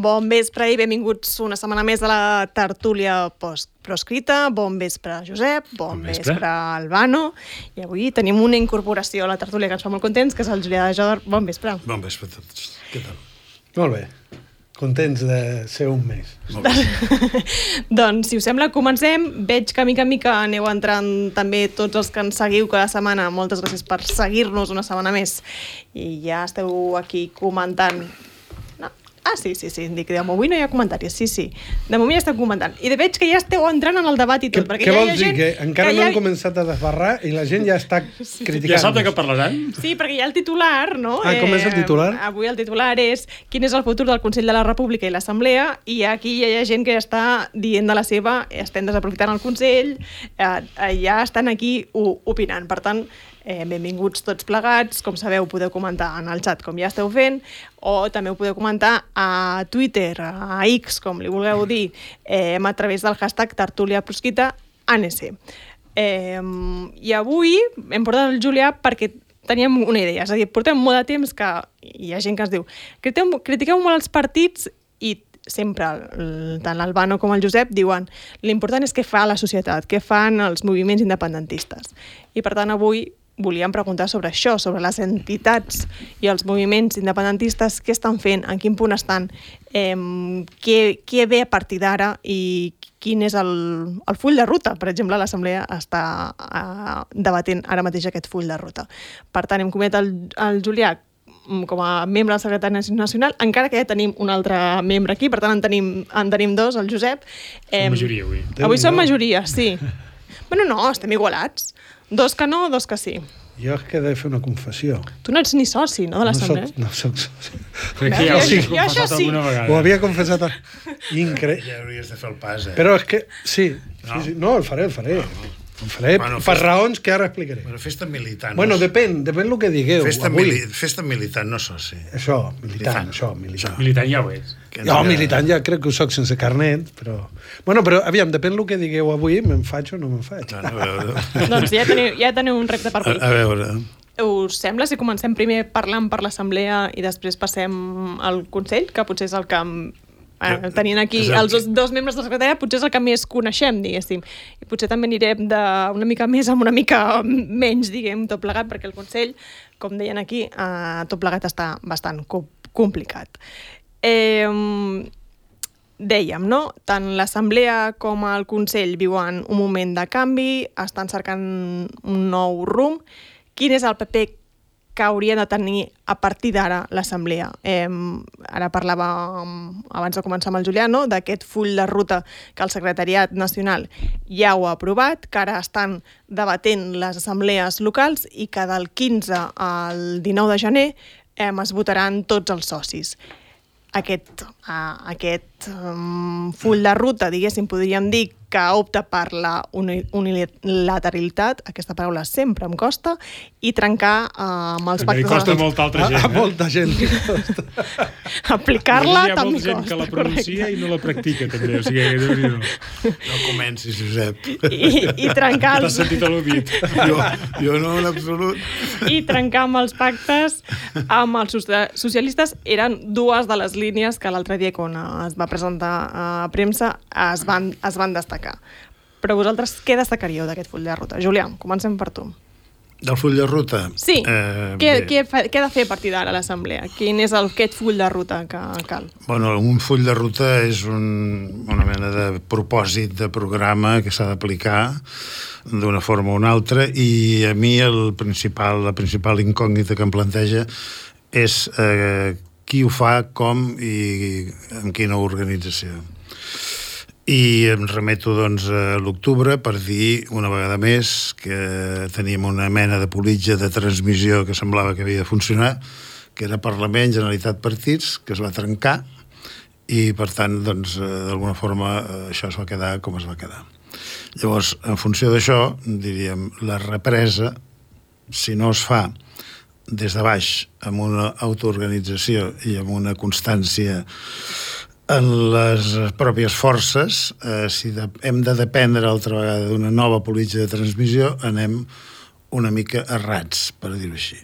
Bon vespre i benvinguts una setmana més a la tertúlia proscrita. Bon vespre, Josep. Bon vespre, Albano. I avui tenim una incorporació a la tertúlia que ens fa molt contents, que és el Julià de Jodar. Bon vespre. Bon vespre a tots. Què tal? Molt bé. Contents de ser un mes. Doncs, si us sembla, comencem. Veig que mica en mica aneu entrant també tots els que ens seguiu cada setmana. Moltes gràcies per seguir-nos una setmana més. I ja esteu aquí comentant. Sí, dic, avui no hi ha comentaris, sí. De moment ja estem comentant. I veig que ja esteu entrant en el debat i tot. Què vols dir? Que encara no han començat a desbarrar i la gent ja està criticant. Ja sap de què parlaran? Sí, perquè hi ha el titular, no? Com és el titular? Avui el titular és quin és el futur del Consell de la República i l'Assemblea, i aquí hi ha gent que ja està dient de la seva, estem desaprofitant el Consell, ja estan aquí opinant. Per tant, benvinguts tots plegats. Com sabeu, podeu comentar en el xat com ja esteu fent, o també ho podeu comentar a Twitter, a X, com li vulgueu dir, a través del hashtag tertuliaprosquita.anc. I avui hem portat el Julià perquè teníem una idea, és a dir, portem molt de temps que hi ha gent que ens diu critiqueu molt els partits, i sempre tant l'Albano com el Josep diuen l'important és què fa la societat, què fan els moviments independentistes. I per tant avui volíem preguntar sobre això, sobre les entitats i els moviments independentistes, què estan fent, en quin punt estan, què ve a partir d'ara i quin és el full de ruta. Per exemple, l'Assemblea està debatent ara mateix aquest full de ruta. Per tant, hem convidat el Julià com a membre del Secretari Nacional, encara que ja tenim un altre membre aquí, per tant en tenim dos, el Josep. Som majoria avui. Avui som majoria, sí. Bueno, no, estem igualats. Dos que no, dos que sí. Jo és que he de fer una confessió. Tu no ets ni soci, no, de l'Assemblea? No soc soci. Jo això sí. Ho havia confessat. Increïble. Ja hauries de fer el pas, Però és que, sí. No, el faré. Ho faré per raons que ara explicaré. Bueno, festa militant. Bueno, depèn el que digueu. Festa militant, no soci. Això, militant. Militant ja ho és. Jo, militant ja crec que ho soc sense carnet, però... Bueno, però, aviam, depèn del que digueu avui, me'n faig o no me'n faig. Doncs ja teniu un repte per avui. A veure... Us sembla si comencem primer parlant per l'Assemblea i després passem al Consell, que potser és el que... tenint aquí els dos membres de la secretaria, potser és el que més coneixem, diguéssim. I potser també anirem d'una mica més amb una mica menys, diguem, tot plegat, perquè el Consell, com deien aquí, tot plegat està bastant complicat. Dèiem, no? Tant l'Assemblea com el Consell viuen un moment de canvi, estan cercant un nou rumb. Quin és el paper que hauria de tenir a partir d'ara l'Assemblea? Ara parlava, abans de començar amb el Julià, no? D'aquest full de ruta que el Secretariat Nacional ja ho ha aprovat, que ara estan debatent les assemblees locals i que del 15 al 19 de gener es votaran tots els socis. Aquest full de ruta, diguéssim, podríem dir que opta per la unilateralitat, aquesta paraula sempre em costa, i trencar amb els pactes... També costa a molta altra gent. A molta gent li costa. Aplicar-la també costa. Hi ha molta gent que la pronuncia i no la practica, també. O sigui, no comencis, Josep. I trencar... T'has sentit al·ludit. Jo no, en absolut. I trencar amb els pactes amb els socialistes eren dues de les línies que l'altre dia, quan es va presentar a premsa, es van destacar. Però vosaltres què destacaríeu d'aquest full de ruta? Julià, comencem per tu. Del full de ruta? Sí. Què ha de fer a partir d'ara l'Assemblea? Quin és aquest full de ruta que cal? Bueno, un full de ruta és una mena de propòsit de programa que s'ha d'aplicar d'una forma o una altra, i a mi la principal incògnita que em planteja és qui ho fa, com i amb quina organització. I em remeto, doncs, a l'octubre per dir una vegada més que teníem una mena de politja de transmissió que semblava que havia de funcionar, que era Parlament, Generalitat, Partits, que es va trencar, i per tant, doncs, d'alguna forma això es va quedar com es va quedar. Llavors, en funció d'això, diríem, la represa si no es fa des de baix, amb una autoorganització i amb una constància en les pròpies forces, si hem de dependre altra vegada d'una nova política de transmissió, anem una mica errats, per dir-ho així.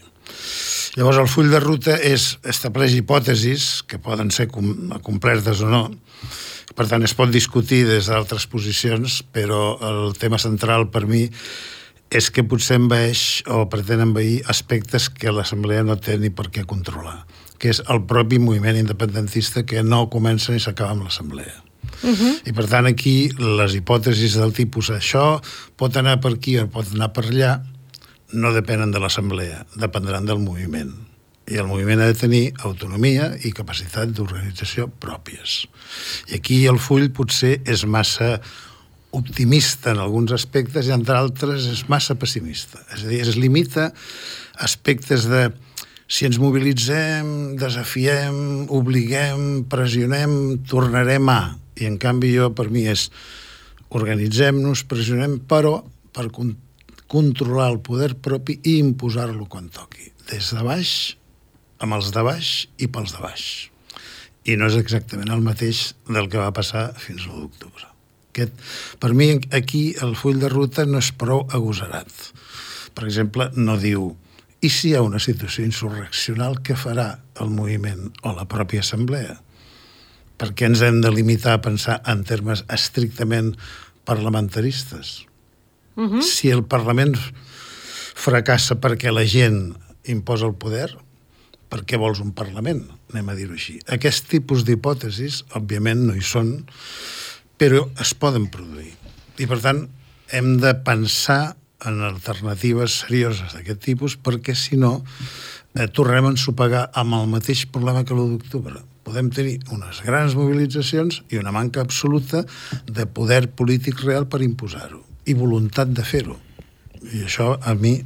Llavors, el full de ruta estableix hipòtesis que poden ser complertes o no. Per tant, es pot discutir des d'altres posicions, però el tema central per mi és que potser envaeix o pretén envair aspectes que l'Assemblea no té ni per què controlar, que és el propi moviment independentista que no comença ni s'acaba amb l'Assemblea. I per tant aquí les hipòtesis del tipus això pot anar per aquí o pot anar per allà no depenen de l'Assemblea, dependran del moviment. I el moviment ha de tenir autonomia i capacitat d'organització pròpies. I aquí el full potser és massa optimista en alguns aspectes i en altres és massa pessimista. És a dir, es limita a aspectes de si ens mobilitzem, desafiem, obliguem, pressionem, tornarem a. I en canvi per mi és organitzem-nos, pressionem, però per controlar el poder propi i imposar-lo quan toqui. Des de baix, amb els de baix i pels de baix. I no és exactament el mateix del que va passar fins l'1 d'octubre. Per mi, aquí, el full de ruta no és prou agosarat. Per exemple, no diu i si hi ha una situació insurreccional, què farà el moviment o la pròpia assemblea? Per què ens hem de limitar a pensar en termes estrictament parlamentaristes? Si el Parlament fracassa perquè la gent imposa el poder, per què vols un Parlament? Anem a dir-ho així. Aquest tipus d'hipòtesis, òbviament, no hi són, però es poden produir. I, per tant, hem de pensar en alternatives serioses d'aquest tipus perquè, si no, tornem a ensopegar amb el mateix problema que l'1 d'octubre. Podem tenir unes grans mobilitzacions i una manca absoluta de poder polític real per imposar-ho i voluntat de fer-ho. I això, a mi,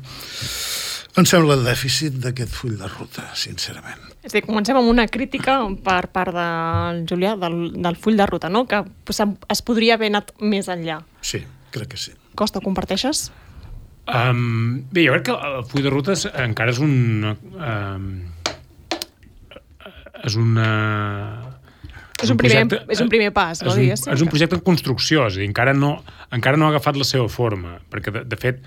em sembla el dèficit d'aquest full de ruta, sincerament. És a dir, comencem amb una crítica per part del Julià, del full de ruta, no? Que es podria haver anat més enllà. Sí, crec que sí. Costa, ho comparteixes? Bé, jo crec que el full de ruta encara és un primer pas, no? És un projecte en construcció, és a dir, encara no ha agafat la seva forma, perquè, de fet,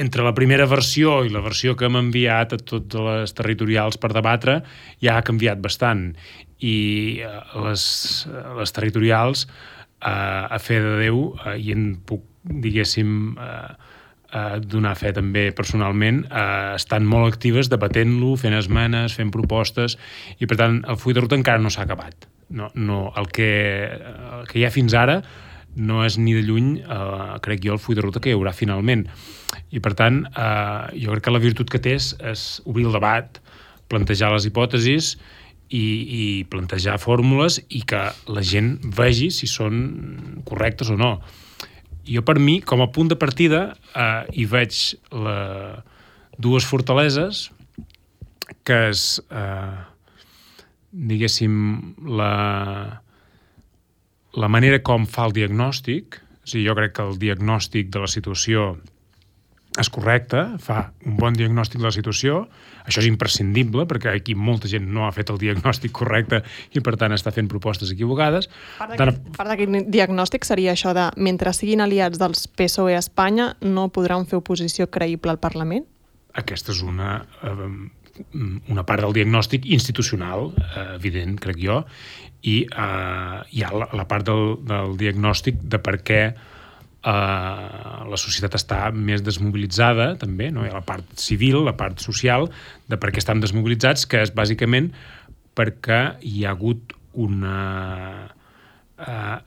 entre la primera versió i la versió que hem enviat a totes les territorials per debatre ja ha canviat bastant. I les territorials, a fe de Déu, i en puc, diguéssim, donar fe també personalment, estan molt actives debatent-lo, fent esmenes, fent propostes, i per tant el full de ruta encara no s'ha acabat. El que hi ha fins ara no és ni de lluny, crec jo, el full de ruta que hi haurà finalment. I per tant, jo crec que la virtut que té és obrir el debat, plantejar les hipòtesis i plantejar fórmules i que la gent vegi si són correctes o no. Jo, per mi, com a punt de partida, hi veig dues fortaleses, que és, diguéssim, la manera com fa el diagnòstic. O sigui, jo crec que el diagnòstic de la situació és correcte, fa un bon diagnòstic de la situació. Això és imprescindible, perquè aquí molta gent no ha fet el diagnòstic correcte i, per tant, està fent propostes equivocades. Part d'aquest diagnòstic seria això de mentre siguin aliats dels PSOE a Espanya no podran fer oposició creïble al Parlament? Aquesta és una part del diagnòstic institucional, evident, crec jo, i hi ha la part del diagnòstic de per què la societat està més desmobilitzada, també, no? Hi ha la part civil, la part social, de per què estan desmobilitzats, que és bàsicament perquè hi ha hagut una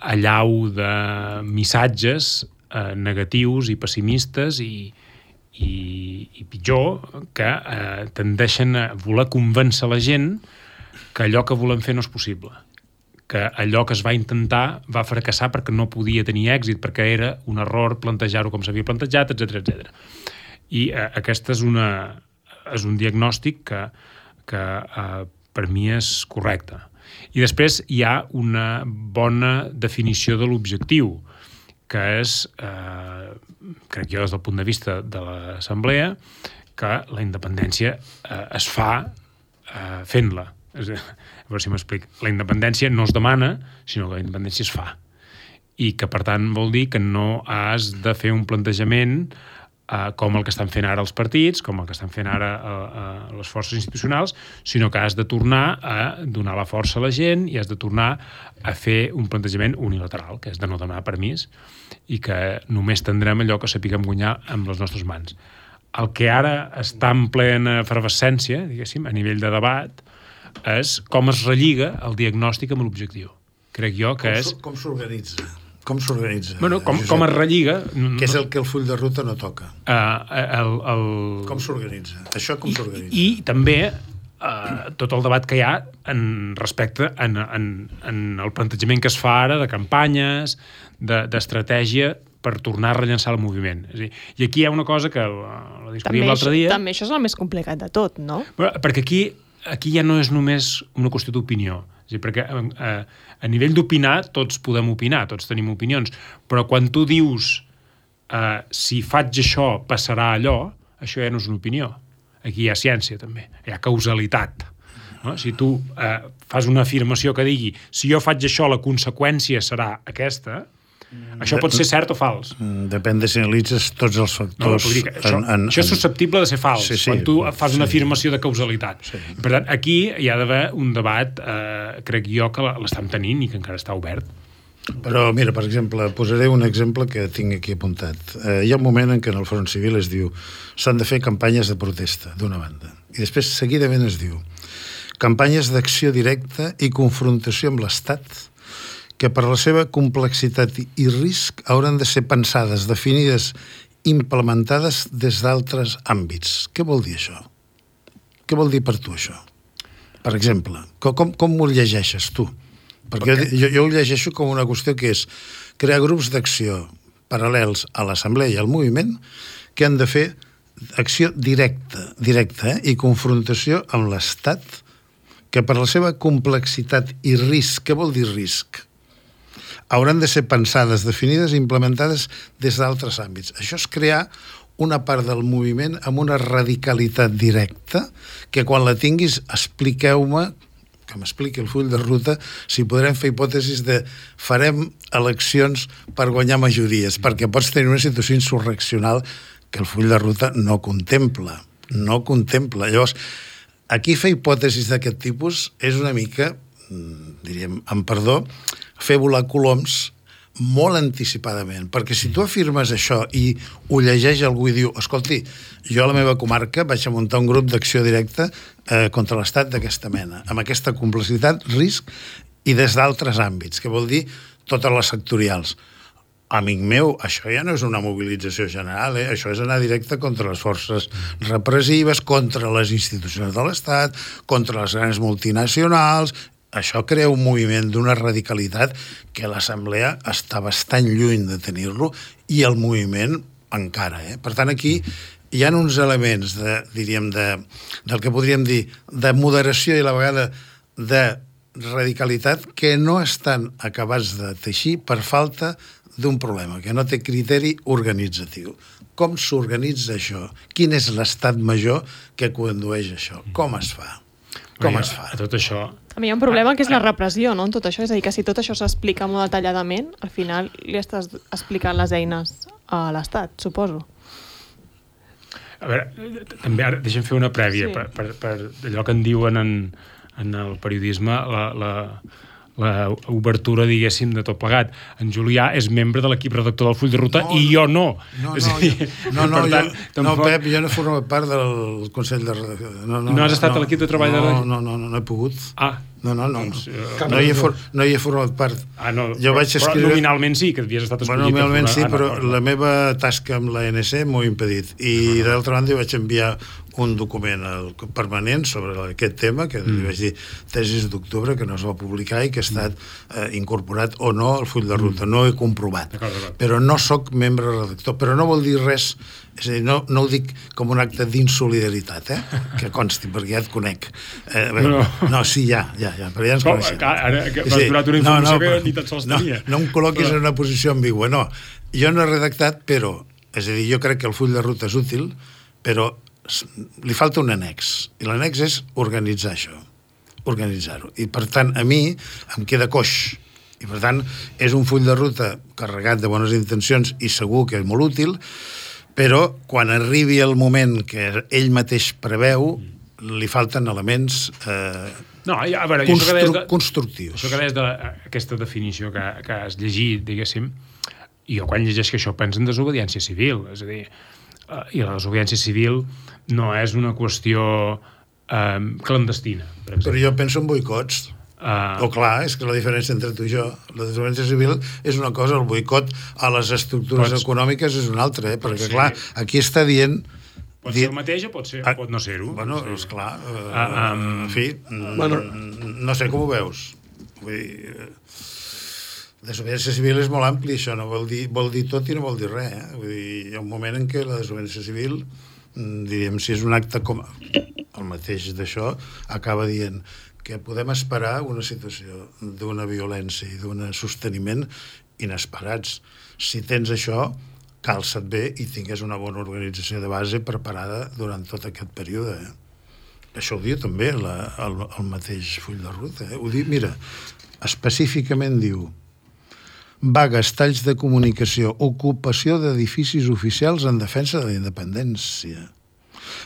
allau de missatges negatius i pessimistes i pitjor, que tendeixen a voler convèncer la gent que allò que volem fer no és possible, que allò que es va intentar va fracassar perquè no podia tenir èxit, perquè era un error plantejar-ho com s'havia plantejat, etc. I aquest és un diagnòstic que per mi és correcte. I després hi ha una bona definició de l'objectiu, que és, crec jo des del punt de vista de l'Assemblea, que la independència es fa fent-la. A veure si m'explic. La independència no es demana, sinó que la independència es fa. I que, per tant, vol dir que no has de fer un plantejament com el que estan fent ara els partits, com el que estan fent ara les forces institucionals, sinó que has de tornar a donar la força a la gent i has de tornar a fer un plantejament unilateral, que és de no donar permís, i que només tindrem allò que sapiguem guanyar amb les nostres mans. El que ara està en plena efervescència, diguéssim, a nivell de debat, és com es relliga el diagnòstic amb l'objectiu. Crec jo que és... Com s'organitza? Com s'organitza? Bueno, com es relliga... Que és el que el full de ruta no toca. Com s'organitza? Això com s'organitza? I també tot el debat que hi ha respecte en el plantejament que es fa ara de campanyes, d'estratègia per tornar a rellençar el moviment. És a dir, i aquí hi ha una cosa que la discutíem l'altre dia... També això és el més complicat de tot, no? Perquè aquí ja no és només una qüestió d'opinió. És a dir, perquè a nivell d'opinar tots podem opinar, tots tenim opinions, però quan tu dius si faig això passarà allò, això ja no és una opinió. Aquí hi ha ciència també, hi ha causalitat. No? Si tu fas una afirmació que digui si jo faig això la conseqüència serà aquesta, això pot ser cert o fals. Depèn de si analitzes tots els factors. Això és susceptible de ser fals, quan tu fas una afirmació de causalitat. Sí. Per tant, aquí hi ha d'haver un debat, crec jo, que l'estem tenint i que encara està obert. Però, mira, per exemple, posaré un exemple que tinc aquí apuntat. Hi ha un moment en què en el Front Civil es diu s'han de fer campanyes de protesta, d'una banda. I després, seguidament, es diu campanyes d'acció directa i confrontació amb l'Estat que per la seva complexitat i risc hauran de ser pensades, definides, implementades des d'altres àmbits. Què vol dir això? Què vol dir per tu això? Per exemple, com ho llegeixes tu? Perquè jo ho llegeixo com una qüestió que és crear grups d'acció paral·lels a l'Assemblea i al moviment que han de fer acció directa i confrontació amb l'Estat que per la seva complexitat i risc, què vol dir risc? Hauran de ser pensades, definides i implementades des d'altres àmbits. Això és crear una part del moviment amb una radicalitat directa que quan la tinguis expliqueu-me, que m'expliqui el full de ruta, si podrem fer hipòtesis de farem eleccions per guanyar majories, perquè pots tenir una situació insurreccional que el full de ruta no contempla. Llavors, aquí fer hipòtesis d'aquest tipus és una mica, diríem, amb perdó, fer volar coloms molt anticipadament, perquè si tu afirmes això i ho llegeix algú i diu, escolti, jo a la meva comarca vaig a muntar un grup d'acció directa contra l'Estat d'aquesta mena, amb aquesta complexitat, risc i des d'altres àmbits, que vol dir totes les sectorials. Amic meu, això ja no és una mobilització general, això és anar directe contra les forces repressives, contra les institucions de l'Estat, contra les grans multinacionals. Això crea un moviment d'una radicalitat que l'Assemblea està bastant lluny de tenir-lo i el moviment encara. Per tant, aquí hi ha uns elements del que podríem dir de moderació i a la vegada de radicalitat que no estan acabats de teixir per falta d'un problema, que no té criteri organitzatiu. Com s'organitza això? Quin és l'estat major que condueix això? Com es fa? A tot això... A mi hi ha un problema que és la repressió, no?, en tot això. És a dir, que si tot això s'explica molt detalladament, al final li estàs explicant les eines a l'Estat, suposo. A veure, també ara deixem fer una prèvia per allò que en diuen en el periodisme la obertura, diguéssim, de tot plegat. En Julià és membre de l'equip redactor del full de ruta i jo no. No, Pep, jo no he format part del Consell de Redacció. No has estat a l'equip de treball de redacció? No he pogut. No hi he format part. Jo vaig escriure... Nominalment sí, que havies estat escollit. Nominalment sí, però la meva tasca amb l'ANC m'ho ha impedit. I d'altra banda vaig enviar un document permanent sobre aquest tema, que li vaig dir tesis d'octubre, que no es va publicar i que ha estat incorporat o no al full de ruta. No he comprovat. Però no sóc membre redactor. Però no vol dir res, és a dir, no ho dic com un acte d'insolidaritat, que consti, perquè ja et conec. No, sí, ja, però ja ens coneixem. Ara que m'has donat una informació que ni tan sols tenia. No em col·loquis en una posició ambigua, no. Jo no he redactat, però, és a dir, jo crec que el full de ruta és útil, però li falta un annex, i l'annex és organitzar això, organitzar-ho. I, per tant, a mi em queda coix. I, per tant, és un full de ruta carregat de bones intencions i segur que és molt útil, però quan arribi el moment que ell mateix preveu, li falten elements a veure, constructius. Això que deies d'aquesta definició que has llegit, diguéssim, jo quan llegeixo això penso en desobediència civil, és a dir, i la desobediència civil no és una qüestió clandestina, per exemple. Però jo penso en boicots. Clar, és que la diferència entre tu i jo, la desobediència civil és una cosa, el boicot a les estructures econòmiques és una altra, perquè clar, aquí està dient... Pot ser el mateix o pot no ser-ho. Bueno, esclar, en fi, no sé com ho veus. Vull dir, desobediència civil és molt ampli, això no vol dir tot i no vol dir res. Vull dir, hi ha un moment en què la desobediència civil, diríem, si és un acte com el mateix d'això, acaba dient que podem esperar una situació d'una violència i d'un sosteniment inesperats. Si tens això, calça't bé i tingués una bona organització de base preparada durant tot aquest període. Això ho diu també el mateix full de ruta. Ho diu, mira, específicament diu vagues, talls de comunicació, ocupació d'edificis oficials en defensa de la independència,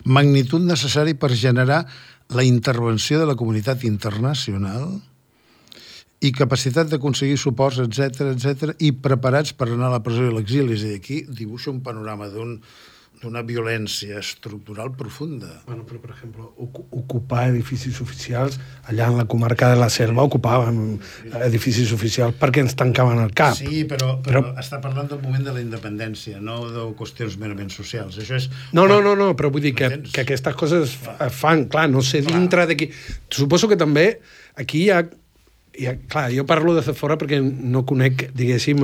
magnitud necessari per generar la intervenció de la comunitat internacional i capacitat d'aconseguir suports, etc, i preparats per anar a la presó i l'exili. És a dir, aquí dibuixa un panorama d'una violència estructural profunda. Bueno, però, per exemple, ocupar edificis oficials, allà en la comarca de la Selva ocupàvem edificis oficials perquè ens tancaven el cap. Sí, però està parlant del moment de la independència, no de qüestions merament socials. Això és... No, però vull dir que aquestes coses fan, clar, no sé, dintre d'aquí... Suposo que també aquí hi ha... Clar, jo parlo de fora perquè no conec, diguéssim,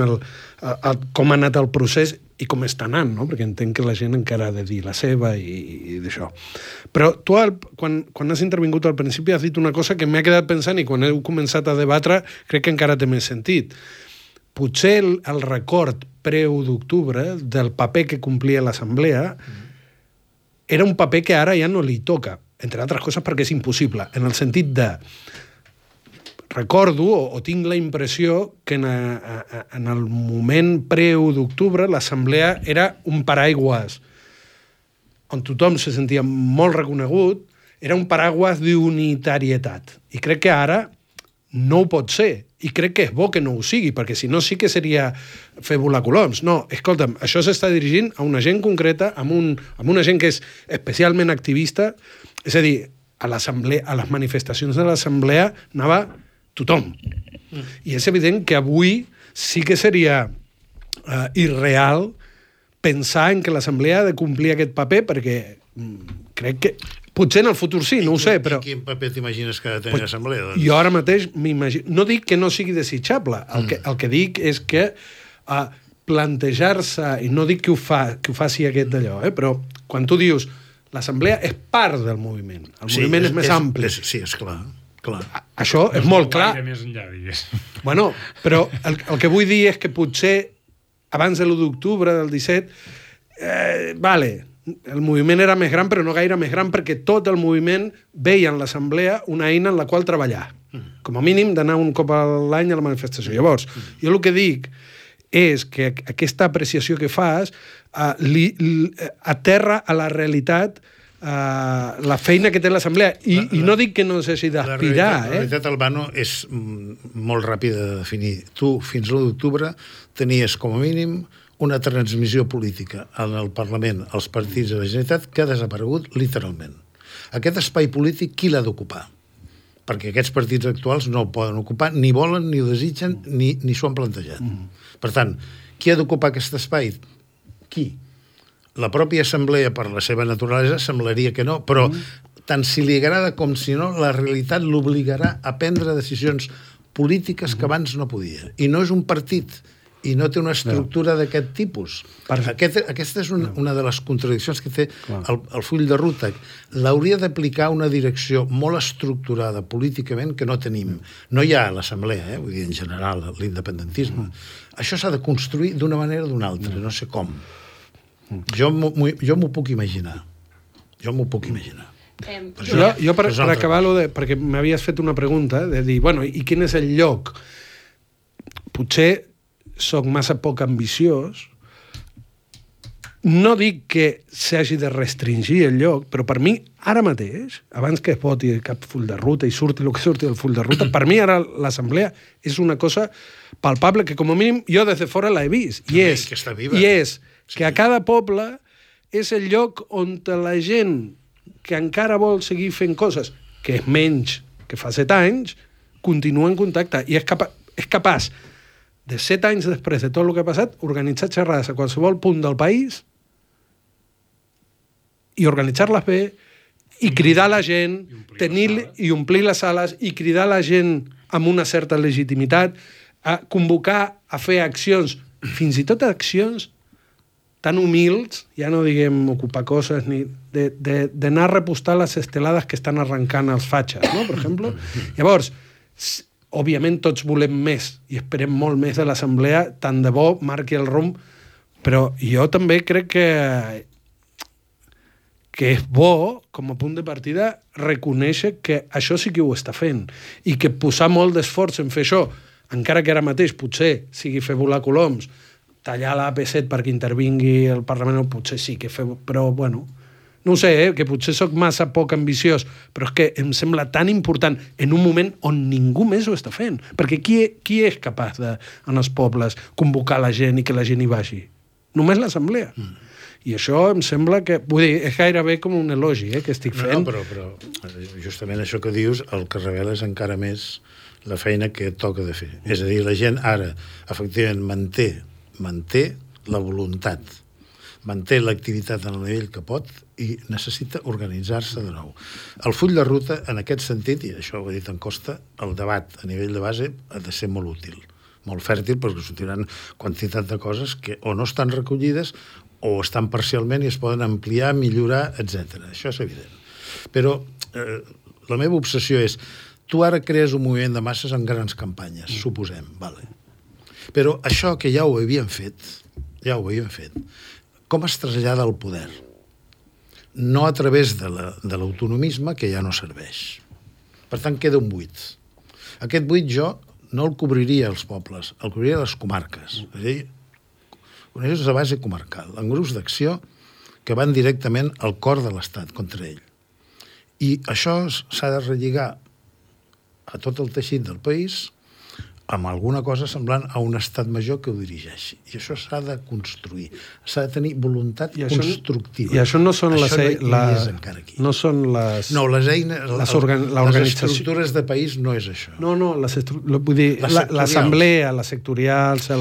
com ha anat el procés i com està anant, no? Perquè entenc que la gent encara ha de dir la seva i d'això. Però tu, quan has intervingut al principi, has dit una cosa que m'ha quedat pensant i quan heu començat a debatre crec que encara té més sentit. Potser el record pre-1 d'octubre del paper que complia l'Assemblea era un paper que ara ja no li toca, entre altres coses perquè és impossible, en el sentit de... Recordo o tinc la impressió que en el moment pre-1 d'octubre l'Assemblea era un paraigües on tothom se sentia molt reconegut, era un paraigües d'unitarietat. I crec que ara no ho pot ser. I crec que és bo que no ho sigui, perquè si no sí que seria fer volar coloms. No, escolta'm, això s'està dirigint a una gent concreta, a una gent que és especialment activista, és a dir, a les manifestacions de l'Assemblea anava tothom. I és evident que avui sí que seria irreal pensar en que l'Assemblea ha de complir aquest paper perquè crec que... Potser en el futur sí, no ho sé, però... Quin paper t'imagines que ha de tenir l'Assemblea? Doncs? Jo ara mateix m'imagino... No dic que no sigui desitjable, el que dic és que plantejar-se, i no dic que ho faci aquest d'allò, però quan tu dius l'Assemblea és part del moviment, el moviment és més ampli. Sí, és clar. Això és molt clar. Més enllà, digues. Bueno, però el que vull dir és que potser abans de l'1 d'octubre del 17 el moviment era més gran, però no gaire més gran, perquè tot el moviment veia en l'Assemblea una eina en la qual treballar. Com a mínim d'anar un cop a l'any a la manifestació. Llavors, jo el que dic és que aquesta apreciació que fas aterra a la realitat la feina que té l'Assemblea. I no dic que no s'hagi d'aspirar. La realitat, Albano, és molt ràpida de definir. Tu, fins l'1 d'octubre, tenies com a mínim una transmissió política en el Parlament, als partits de la Generalitat, que ha desaparegut literalment. Aquest espai polític, qui l'ha d'ocupar? Perquè aquests partits actuals no el poden ocupar, ni volen, ni ho desitgen, ni s'ho han plantejat. Per tant, qui ha d'ocupar aquest espai? Qui? La pròpia Assemblea, per la seva naturalesa, semblaria que no, però tant si li agrada com si no, la realitat l'obligarà a prendre decisions polítiques que abans no podia. I no és un partit, i no té una estructura d'aquest tipus. Aquesta és una de les contradiccions que té el full de ruta. L'hauria d'aplicar una direcció molt estructurada políticament que no tenim. No hi ha a l'Assemblea, vull dir, en general, l'independentisme. Això s'ha de construir d'una manera o d'una altra, no sé com. Jo m'ho puc imaginar. Jo m'ho puc imaginar. Jo per acabar-ho, perquè m'havies fet una pregunta, de dir, bueno, i quin és el lloc? Potser soc massa poc ambiciós. No dic que s'hagi de restringir el lloc, però per mi, ara mateix, abans que es voti cap full de ruta i surti el que surti del full de ruta, per mi ara l'assemblea és una cosa palpable que, com a mínim, jo des de fora l'he vist. I és que a cada poble és el lloc on la gent que encara vol seguir fent coses, que és menys que fa 7 anys, continua en contacte i és capaç de 7 anys després de tot el que ha passat, organitzar xerrades a qualsevol punt del país i organitzar-les bé i cridar la gent, i omplir les sales i cridar la gent amb una certa legitimitat, a convocar a fer accions, fins i tot accions tan humils, ja no diguem ocupar coses, ni d'anar a repostar les estelades que estan arrencant els fatxes, no? Per exemple. Llavors, òbviament tots volem més i esperem molt més de l'assemblea, tant de bo marqui el rumb, però jo també crec que és bo, com a punt de partida, reconèixer que això sí que ho està fent i que posar molt d'esforç en fer això, encara que ara mateix potser sigui fer volar coloms, tallar l'AP7 perquè intervingui el Parlament, potser sí que fer... Però, bueno, no ho sé, que potser sóc massa poc ambiciós, però és que em sembla tan important en un moment on ningú més ho està fent. Perquè qui és capaç de, en els pobles, convocar la gent i que la gent hi vagi? Només l'assemblea. I això em sembla que... Vull dir, és gairebé com un elogi que estic fent. No, però justament això que dius el que revela és encara més la feina que toca de fer. És a dir, la gent ara, efectivament, manté la voluntat, manté l'activitat en el nivell que pot i necessita organitzar-se de nou. El full de ruta, en aquest sentit, i això ho ha dit en Costa, el debat a nivell de base ha de ser molt útil, molt fèrtil, perquè sortiran quantitat de coses que o no estan recollides o estan parcialment i es poden ampliar, millorar, etc. Això és evident. Però la meva obsessió és, tu ara crees un moviment de masses en grans campanyes, suposem, vale. Però això que ja ho havíem fet, com es trasllada al poder? No a través de l'autonomisme, que ja no serveix. Per tant, queda un buit. Aquest buit jo no el cobriria als pobles, el cobriria a les comarques. És a dir, organitzacions de base comarcal, en grups d'acció que van directament al cor de l'Estat contra ell. I això s'ha de relligar a tot el teixit del país amb alguna cosa semblant a un estat major que ho dirigeixi. I això s'ha de construir. S'ha de tenir voluntat constructiva. I això no són les eines... No són les... No, les eines... Les estructures de país no és això. No, vull dir, l'assemblea, les sectorials,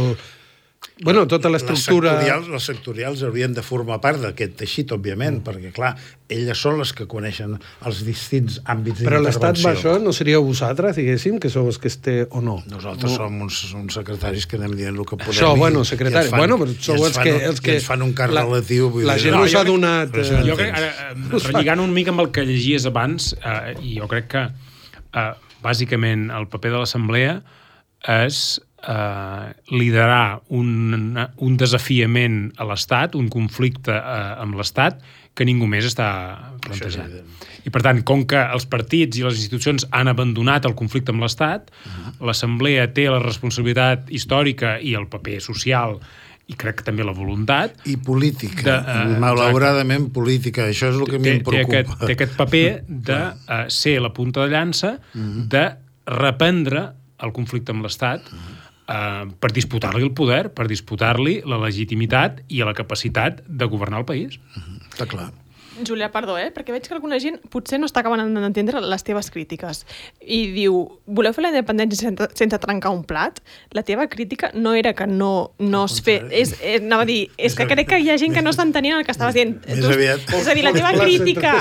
bueno, tota l'estructura... Les sectorials haurien de formar part d'aquest teixit, òbviament, perquè, clar, elles són les que coneixen els distints àmbits d'intervenció. Però l'Estat va això, no seríeu vosaltres, diguéssim, que sou els que o no? Nosaltres som uns secretaris que anem dient el que podem. Això, bueno, secretaris. Bueno, però sou els que ens fan un cas relatiu. La gent us ha donat... Jo crec, relligant una mica amb el que llegies abans, i jo crec que, bàsicament, el paper de l'Assemblea és liderar un desafiament a l'Estat, un conflicte amb l'Estat que ningú més està plantejant. I per tant, com que els partits i les institucions han abandonat el conflicte amb l'Estat, l'Assemblea té la responsabilitat històrica i el paper social i crec que també la voluntat... I política, malauradament política, això és el que a mi em preocupa. Té aquest paper de ser la punta de llança, de reprendre el conflicte amb l'Estat per disputar-li el poder, per disputar-li la legitimitat i la capacitat de governar el país. Està clar. Julià, perdó, perquè veig que alguna gent potser no està acabant d'entendre les teves crítiques. I diu, voleu fer la independència sense trencar un plat? La teva crítica no era que no es fes... Anava a dir, és que crec que hi ha gent que no està entenint el que estaves dient. Més aviat. És a dir, la teva crítica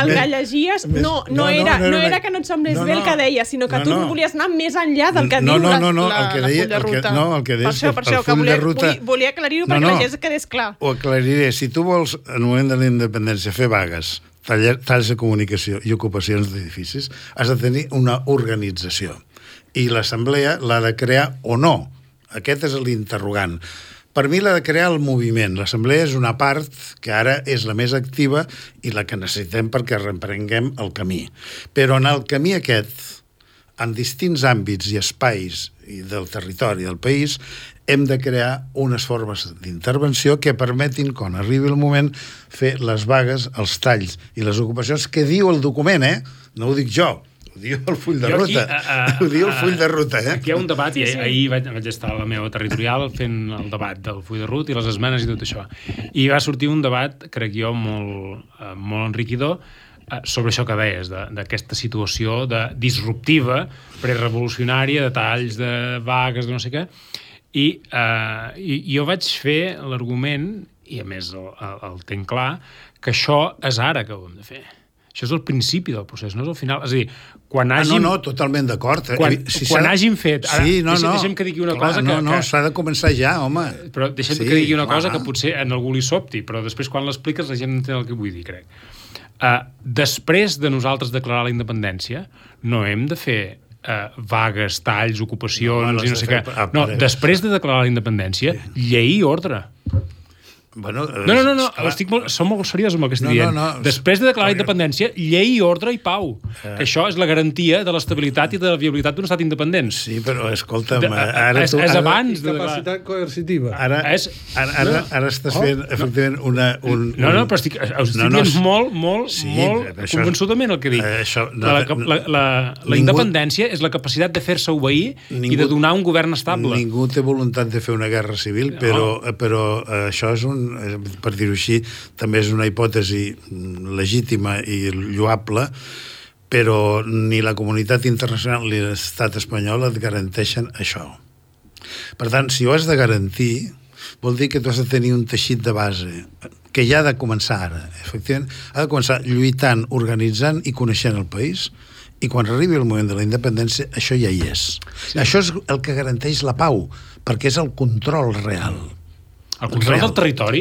al que llegies no era que no et semblés bé el que deies, sinó que tu volies anar més enllà del que diu el full de ruta. No, el que deies per això que volia aclarir-ho perquè la gent quedés clar. Ho aclariré. Si tu vols, en el moment de la independència, fer vagues, talls de comunicació i ocupacions d'edificis, has de tenir una organització. I l'assemblea l'ha de crear o no. Aquest és l'interrogant. Per mi l'ha de crear el moviment. L'assemblea és una part que ara és la més activa i la que necessitem perquè reprenguem el camí. Però en el camí aquest, en distints àmbits i espais del territori del país, hem de crear unes formes d'intervenció que permetin, quan arribi el moment, fer les vagues, els talls i les ocupacions que diu el document, no ho dic jo, ho diu el full de ruta. Ho diu el full de ruta, Aquí hi ha un debat, i ahir vaig estar a la meva territorial fent el debat del full de ruta i les esmenes i tot això. I va sortir un debat, crec jo, molt enriquidor, sobre això que deies, d'aquesta situació disruptiva, prerevolucionària, de talls, de vagues, de no sé què. I jo vaig fer l'argument, i a més el tenc clar, que això és ara que ho hem de fer. Això és el principi del procés, no és el final. És a dir, quan hàgim... No, totalment d'acord. Quan hàgim fet... Ara, deixa'm que digui una cosa que... No, s'ha de començar ja, home. Però deixa'm que digui una cosa que potser a algú li sobti, però després quan l'expliques la gent entén el que vull dir, crec. Després de nosaltres declarar la independència, no hem de fer vagues, talls, ocupacions i no sé què. No, després de declarar la independència, llei i ordre. Bueno, no, som molt seriós amb el que estic dient. Després de declarar la independència, llei, ordre i pau. Que això és la garantia de l'estabilitat i de la viabilitat d'un estat independent. Sí, però escolta'm... És abans de... Capacitat coercitiva. Ara estàs fent, efectivament, No, però estic dient molt convençudament el que dic. La independència és la capacitat de fer-se obeir i de donar un govern estable. Ningú té voluntat de fer una guerra civil, però això és per dir-ho així, també és una hipòtesi legítima i lloable, però ni la comunitat internacional ni l'estat espanyol et garanteixen això. Per tant, si ho has de garantir, vol dir que tu has de tenir un teixit de base que ja ha de començar ara. Efectivament, ha de començar lluitant, organitzant i coneixent el país, i quan arribi el moment de la independència, això ja hi és. Sí. Això és el que garanteix la pau, perquè és el control real. El control del territori,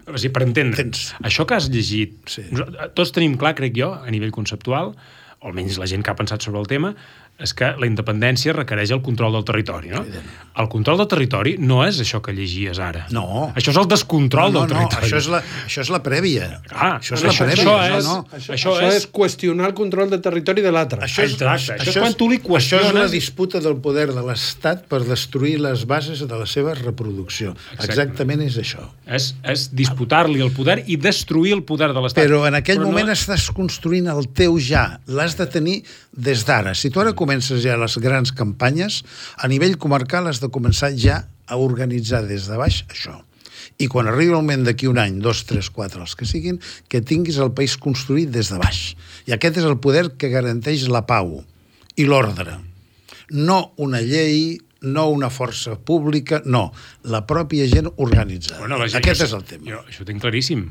o sigui, per entendre, això que has llegit, tots tenim clar, crec jo, a nivell conceptual, o almenys la gent que ha pensat sobre el tema, és que la independència requereix el control del territori, no? El control del territori no és això que llegies ara. No. Això és el descontrol del territori. Això és la prèvia. Això és la prèvia. Això és qüestionar el control del territori de l'altre. Això és quan tu li qüestiones... Això és la disputa del poder de l'Estat per destruir les bases de la seva reproducció. Exactament és això. És disputar-li el poder i destruir el poder de l'Estat. Però en aquell moment estàs construint el teu ja. L'has de tenir des d'ara. Si tu ara comences ja les grans campanyes, a nivell comarcal has de començar ja a organitzar des de baix això. I quan arribi el moment d'aquí un any, 2, 3, 4, els que siguin, que tinguis el país construït des de baix. I aquest és el poder que garanteix la pau i l'ordre. No una llei, no una força pública, no. La pròpia gent organitzada. Aquest és el tema. Això ho tinc claríssim.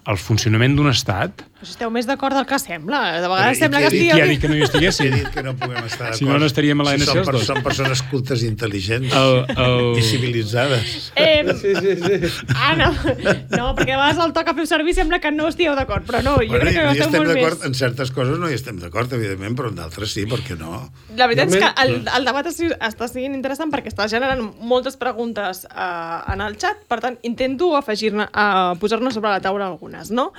El funcionament d'un estat... Però si esteu més d'acord del que sembla. De vegades sembla que estigueu... Qui ha dit que no hi estiguéssim? He dit que no puguem estar d'acord. Si no estaríem a l'ANC els dos. Són persones cultes i intel·ligents i civilitzades. No, perquè a vegades el toc a fer servir sembla que no estigueu d'acord, però no, jo crec que esteu molt més... En certes coses no hi estem d'acord, evidentment, però en d'altres sí, per què no? La veritat és que el debat està sent interessant perquè està generant moltes preguntes en el xat, per tant, intento posar-ne sobre la taula algunes, no?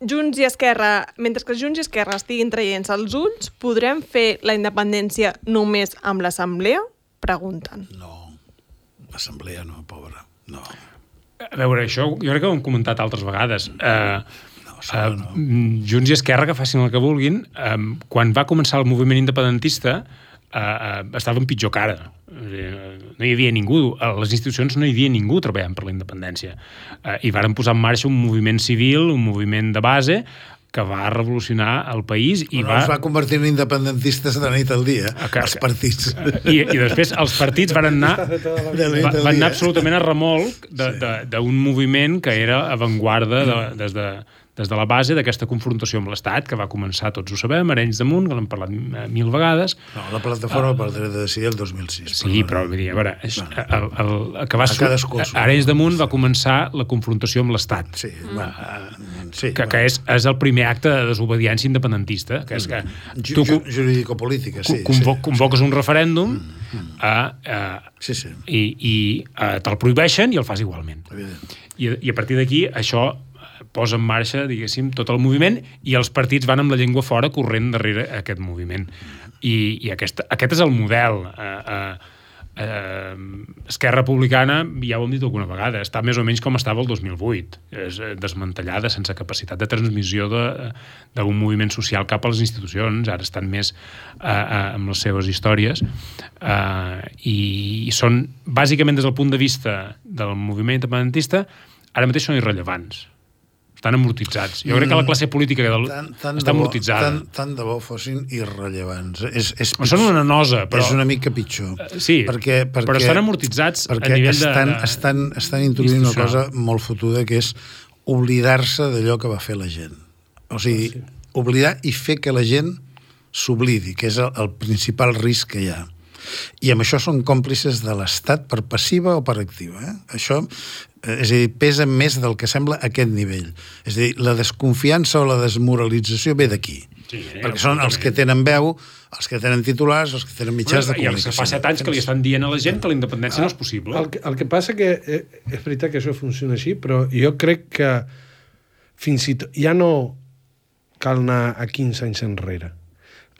Junts i Esquerra, mentre que Junts i Esquerra estiguin traient-se els ulls, podrem fer la independència només amb l'Assemblea? Pregunten. No, l'Assemblea no, pobra, no. A veure, això jo crec que ho hem comentat altres vegades. Junts i Esquerra, que facin el que vulguin, quan va començar el moviment independentista, estava en pitjor cara. No hi havia ningú, a les institucions no hi havia ningú treballant per la independència. I varen posar en marxa un moviment civil, un moviment de base, que va revolucionar el país i es va convertir en independentistes de la nit al dia, els partits. I després els partits van anar absolutament a remolc d'un moviment que era avantguarda des de la base d'aquesta confrontació amb l'Estat, que va començar, tots ho sabem, Arenys de Munt, que l'hem parlat 1000 vegades. No, la plataforma pel dret de decidir el 2006. Sí, però vull dir, a veure, Arenys de Munt va començar la confrontació amb l'Estat. Sí, que és el primer acte de desobediència independentista, que és que jurídico-política, sí. Convoques un referèndum i te'l prohibeixen i el fas igualment. I a partir d'aquí això posa en marxa, diguéssim, tot el moviment i els partits van amb la llengua fora corrent darrere aquest moviment. I aquest és el model. Esquerra Republicana, ja ho hem dit alguna vegada, està més o menys com estava el 2008, és desmantellada, sense capacitat de transmissió d'un moviment social cap a les institucions. Ara estan més amb les seves històries i són, bàsicament des del punt de vista del moviment independentista, ara mateix són irrellevants, estan amortitzats. Jo crec que la classe política està amortitzada. Tant de bo fossin irrellevants. Són una nosa, però... És una mica pitjor. Sí, però estan amortitzats a nivell estan introduint una cosa molt fotuda, que és oblidar-se d'allò que va fer la gent. O sigui, oblidar i fer que la gent s'oblidi, que és el principal risc que hi ha. I amb això són còmplices de l'Estat per passiva o per activa. Això, és a dir, pesa més del que sembla a aquest nivell. És a dir, la desconfiança o la desmoralització ve d'aquí. Sí, perquè són els que tenen veu, els que tenen titulars, els que tenen mitjans de comunicació. I els que fa 7 anys que li estan dient a la gent que la independència no és possible. El que passa que és veritat que això funciona així, però jo crec que fins i tot ja no cal anar a 15 anys enrere.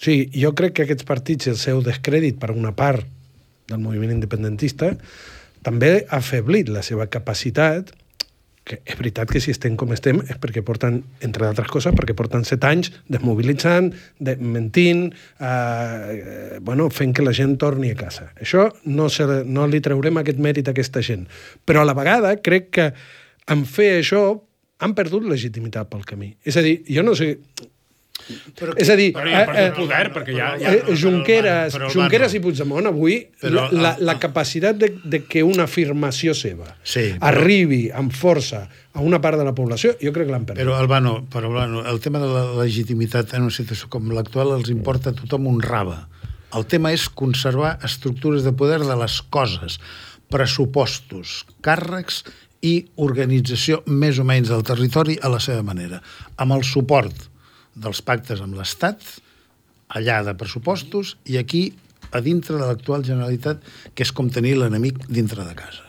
O sigui, jo crec que aquests partits, el seu descrèdit per una part del moviment independentista, també ha afeblit la seva capacitat, que és veritat que si estem com estem és perquè porten, entre d'altres coses, perquè porten 7 anys desmobilitzant, mentint, fent que la gent torni a casa. Això no li traurem aquest mèrit a aquesta gent. Però a la vegada crec que en fer això han perdut legitimitat pel camí. És a dir, jo no sé... És a dir, Junqueras i Puigdemont avui, la capacitat de que una afirmació seva arribi amb força a una part de la població, jo crec que l'han perdut. Però, Albano, el tema de la legitimitat en una situació com l'actual els importa a tothom un rave. El tema és conservar estructures de poder de les coses, pressupostos, càrrecs i organització més o menys del territori a la seva manera, amb el suport dels pactes amb l'Estat, allà de pressupostos, i aquí, a dintre de l'actual Generalitat, que és com tenir l'enemic dintre de casa.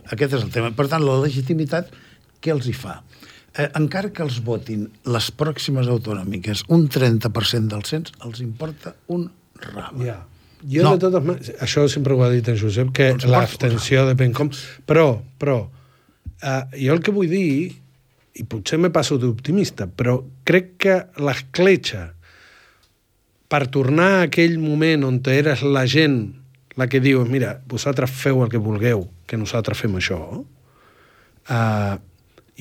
Aquest és el tema. Per tant, la legitimitat, què els hi fa? Encara que els votin les pròximes autonòmiques un 30% del cens, els importa un rave. Ja. Jo, de totes maneres, això sempre ho ha dit en Josep, que l'abstenció depèn com... Però, jo el que vull dir, i potser me passo d'optimista, però crec que l'escletxa per tornar a aquell moment on eres la gent la que diu, mira, vosaltres feu el que vulgueu, que nosaltres fem això,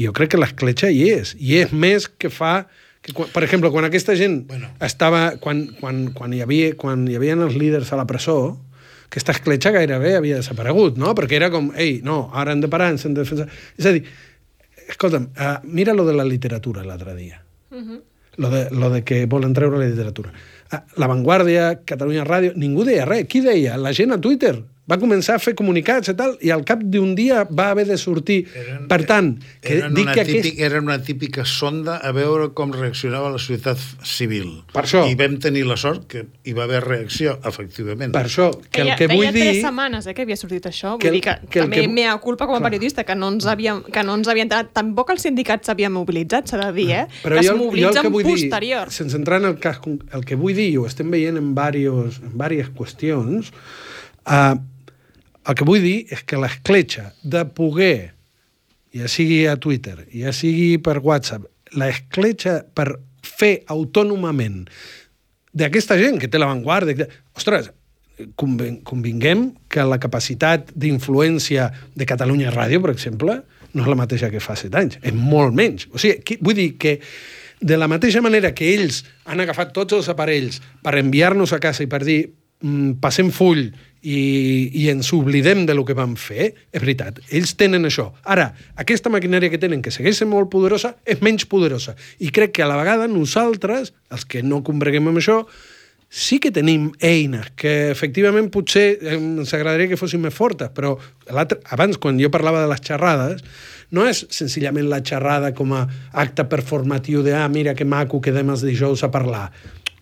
jo crec que l'escletxa hi és més que fa... Que, per exemple, quan aquesta gent estava... Quan hi havia els líders a la presó, aquesta escletxa gairebé havia desaparegut, no? Perquè era com, ara hem de parar, ens hem de defensar... És a dir, escolta'm, mira lo de la literatura l'altre dia. Lo de que volen treure la literatura. La Vanguardia, Catalunya Ràdio, ningú deia res. Qui deia? La gent a Twitter. Va començar a fer comunicats i tal, i al cap d'un dia va haver de sortir. Per tant, era una típica sonda a veure com reaccionava la societat civil. Per això. I vam tenir la sort que hi va haver reacció, efectivament. Per això, que el que vull dir... Deia 3 setmanes que havia sortit això. Vull dir que també mea culpa com a periodista, que no ens havien entrat. Tampoc els sindicats s'havien mobilitzat, s'ha de dir, Però que es mobilitzen posterior. Sense entrar en el cas... El que vull dir, i ho estem veient en diverses qüestions, el que vull dir és que l'escletxa de poder, ja sigui a Twitter, ja sigui per WhatsApp, l'escletxa per fer autònomament d'aquesta gent que té la Vanguardia... Ostres, convinguem que la capacitat d'influència de Catalunya Ràdio, per exemple, no és la mateixa que fa 7 anys, és molt menys. O sigui, vull dir que de la mateixa manera que ells han agafat tots els aparells per enviar-nos a casa i per dir passem full i ens oblidem de lo que vam fer, és veritat, ells tenen això. Ara, aquesta maquinària que tenen, que segueix sent molt poderosa, és menys poderosa. I crec que a la vegada nosaltres, els que no combreguem amb això, sí que tenim eines que efectivament potser ens agradaria que fossin més fortes, però abans, quan jo parlava de les xerrades, no és senzillament la xerrada com a acte performatiu de mira que maco, quedem els dijous a parlar.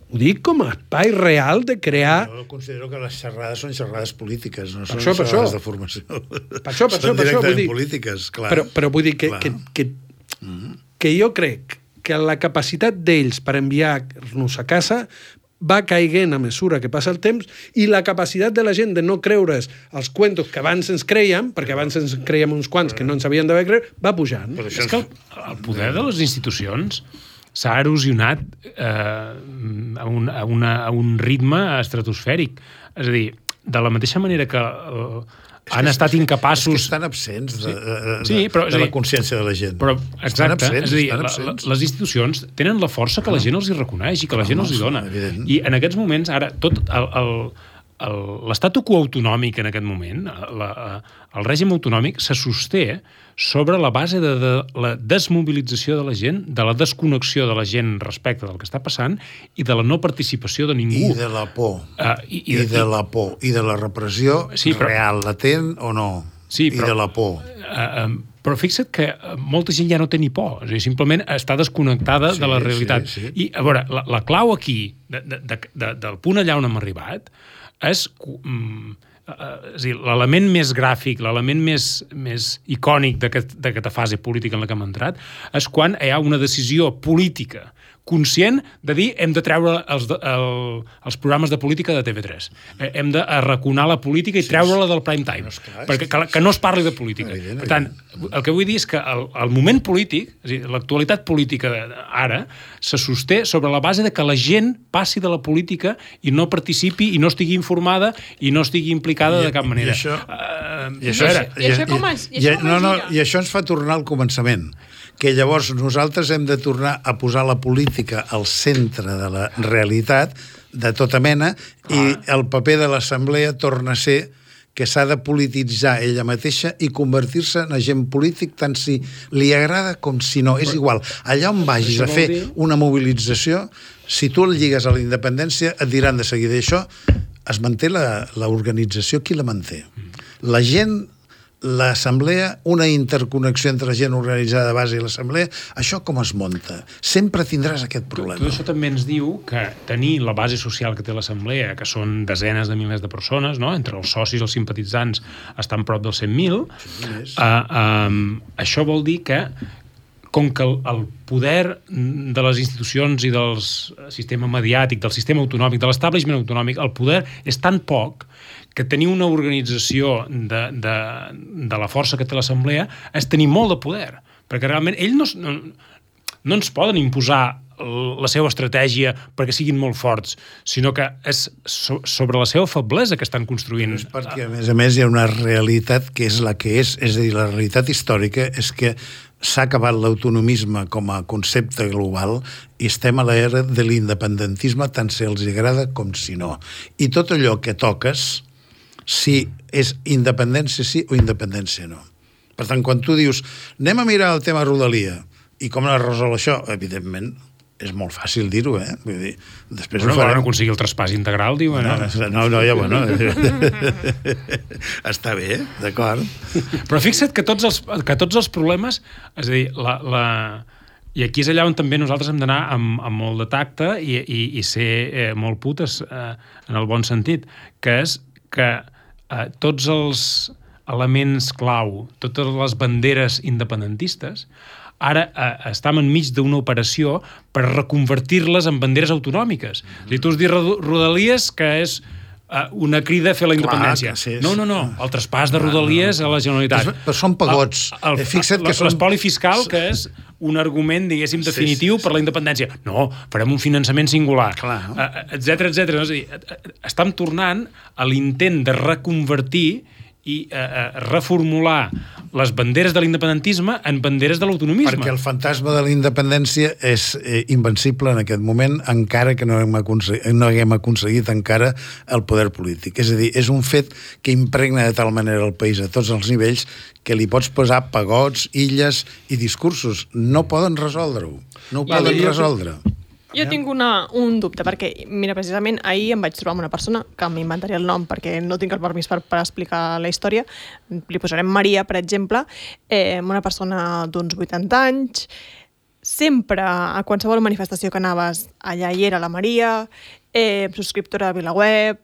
Ho dic com a espai real de crear... Jo considero que les xerrades són xerrades polítiques, no són això, xerrades de formació. Per això, són vull directament dir... polítiques, clar. Però vull dir que jo crec que la capacitat d'ells per enviar-nos a casa va caiguent a mesura que passa el temps i la capacitat de la gent de no creure's els cuentos que abans ens creiem, perquè abans ens creiem uns quants que no ens havien d'haver creure, va pujant. És que el poder de les institucions s'ha erosionat a un ritme estratosfèric. És a dir, de la mateixa manera que han estat incapaços... És que estan absents de la consciència de la gent. Però, exacte, és a dir, les institucions tenen la força que la gent els hi reconeix i que la gent els hi dona. I en aquests moments, ara, tot l'estatu quo autonòmic en aquest moment, el règim autonòmic se sosté sobre la base de la desmobilització de la gent, de la desconnexió de la gent respecte del que està passant i de la no participació de ningú. I de la por. I de la por. I de la repressió real, latent o no. I de la por. Però fixa't que molta gent ja no té ni por, és a dir, simplement està desconnectada de la realitat. I, a veure, la clau aquí, del punt allà on hem arribat, és dir, l'element més gràfic, l'element més icònic d'aquesta fase política en la que hem entrat, és quan hi ha una decisió política conscient de dir hem de treure els programes de política de TV3. Hem de arraconar la política i treure-la del prime time. Perquè que no es parli de política. Per tant, el que vull dir és que el moment polític, és a dir, l'actualitat política ara, se sosté sobre la base de que la gent passi de la política i no participi i no estigui informada i no estigui implicada de cap manera. I això ens fa tornar al començament, que llavors nosaltres hem de tornar a posar la política al centre de la realitat de tota mena i el paper de l'Assemblea torna a ser que s'ha de polititzar ella mateixa i convertir-se en agent polític tant si li agrada com si no. És igual. Allà on vagis a fer una mobilització, si tu el lligues a la independència, et diran de seguida això, es manté l'organització, qui la manté? La gent, l'assemblea, una interconnexió entre la gent organitzada de base i l'assemblea, això com es munta? Sempre tindràs aquest problema. Tot això també ens diu que tenir la base social que té l'assemblea, que són desenes de milers de persones, no? Entre els socis i els simpatitzants estan prop dels 100.000, això vol dir que com que el poder de les institucions i del sistema mediàtic, del sistema autonòmic, de l'establishment autonòmic, el poder és tan poc que tenir una organització de la força que té l'Assemblea és tenir molt de poder, perquè realment ells no ens poden imposar la seva estratègia perquè siguin molt forts, sinó que és sobre la seva feblesa que estan construint. És perquè, a més, hi ha una realitat que és la que és a dir, la realitat històrica és que s'ha acabat l'autonomisme com a concepte global i estem a l'era de l'independentisme tant si els agrada com si no. I tot allò que toques, si és independència sí o independència no. Per tant, quan tu dius anem a mirar el tema Rodalia i com es resol això, evidentment és molt fàcil dir-ho, Vull dir, després ho farem. Volen aconseguir el traspàs integral, diuen. No, ja, bueno. Està bé, d'acord. Però fixa't que tots els problemes, és a dir, i aquí és allà on també nosaltres hem d'anar amb molt de tacte i ser molt putes en el bon sentit, que és que tots els elements clau, totes les banderes independentistes, ara estem enmig d'una operació per reconvertir-les en banderes autonòmiques. Tu has dit Rodalies, que és una crida a fer la independència. No, el traspàs de Rodalies a la Generalitat. Però són pagots. L'espoli fiscal, que és un argument, diguéssim, definitiu per la independència. No, farem un finançament singular, etcètera. És a dir, estem tornant a l'intent de reconvertir i reformular les banderes de l'independentisme en banderes de l'autonomisme. Perquè el fantasma de la independència és invencible en aquest moment, encara que no haguem aconseguit encara el poder polític. És a dir, és un fet que impregna de tal manera el país a tots els nivells que li pots posar pagots, illes i discursos. No poden resoldre-ho. No ho poden resoldre. Jo tinc un dubte, perquè, mira, precisament ahir em vaig trobar amb una persona, que m'inventaré el nom perquè no tinc el permís per explicar la història, li posarem Maria, per exemple, una persona d'uns 80 anys, sempre, a qualsevol manifestació que anaves, allà hi era la Maria, subscriptora de VilaWeb,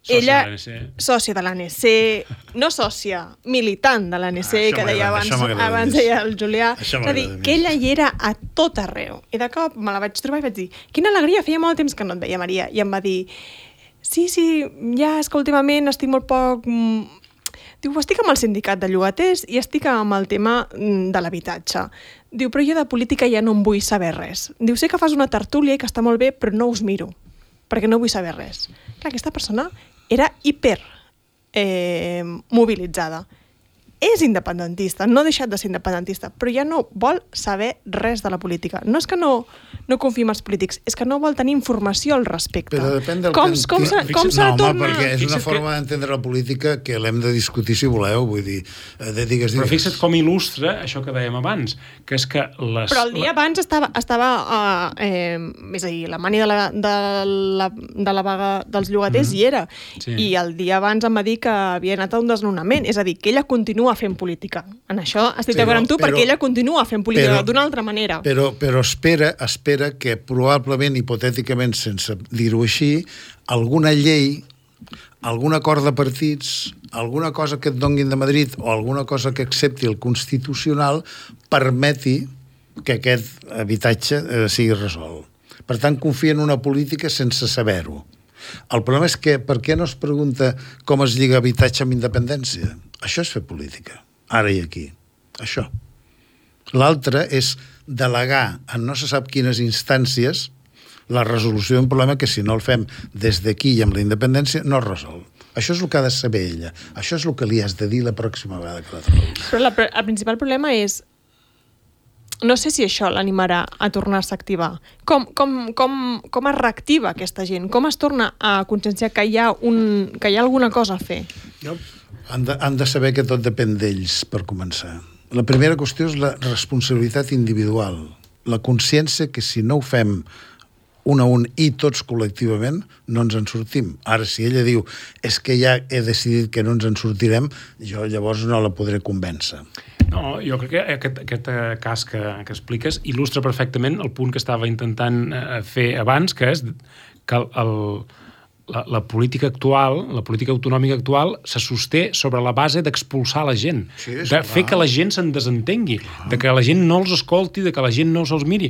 ella, sòcia de l'ANC, no sòcia, militant de l'ANC, que deia abans deia el Julià. És a dir, que ella hi era a tot arreu. I de cop me la vaig trobar i vaig dir, quina alegria, feia molt temps que no et veia, Maria. I em va dir, sí, ja és que últimament estic molt poc... Diu, estic amb el sindicat de llogaters i estic amb el tema de l'habitatge. Diu, però jo de política ja no em vull saber res. Diu, sé que fas una tertúlia i que està molt bé, però no us miro, perquè no vull saber res. Clar, aquesta persona era hiper mobilitzada. És independentista, no ha deixat de ser independentista, però ja no vol saber res de la política. No és que no confia en els polítics, és que no vol tenir informació al respecte. Però depèn del com s'ha de tornar... perquè és una forma d'entendre la política que l'hem de discutir si voleu, vull dir... Però fixa't com il·lustra això que dèiem abans, que és que les... Però el dia abans estava és a dir, la mani de la vaga dels llogaters hi era, i el dia abans em va dir que havia anat a un desnonament, és a dir, que ella continua fent política. En això estic d'acord amb tu, perquè ella continua fent política d'una altra manera. Però espera que probablement, hipotèticament, sense dir-ho així, alguna llei, algun acord de partits, alguna cosa que et donguin de Madrid o alguna cosa que accepti el Constitucional permeti que aquest habitatge sigui resolt. Per tant, confia en una política sense saber-ho. El problema és que per què no es pregunta com es lliga habitatge amb independència? Això és fer política, ara i aquí. Això. L'altre és delegar en no se sap quines instàncies la resolució d'un problema que si no el fem des d'aquí i amb la independència no es resol. Això és el que ha de saber ella. Això és el que li has de dir la pròxima vegada que la trobis. Però el principal problema és no sé si això l'animarà a tornar-se a activar. Com es reactiva aquesta gent? Com es torna a conscienciar que hi ha alguna cosa a fer? Han de saber que tot depèn d'ells, per començar. La primera qüestió és la responsabilitat individual. La consciència que si no ho fem un a un i tots col·lectivament, no ens en sortim. Ara, si ella diu és que ja he decidit que no ens en sortirem, jo llavors no la podré convèncer. No, jo crec que aquest cas que expliques il·lustra perfectament el punt que estava intentant fer abans, que és que la política actual, la política autonòmica actual, se sosté sobre la base d'expulsar la gent, de fer que la gent se'n desentengui, de que la gent no els escolti, de que la gent no se'ls miri,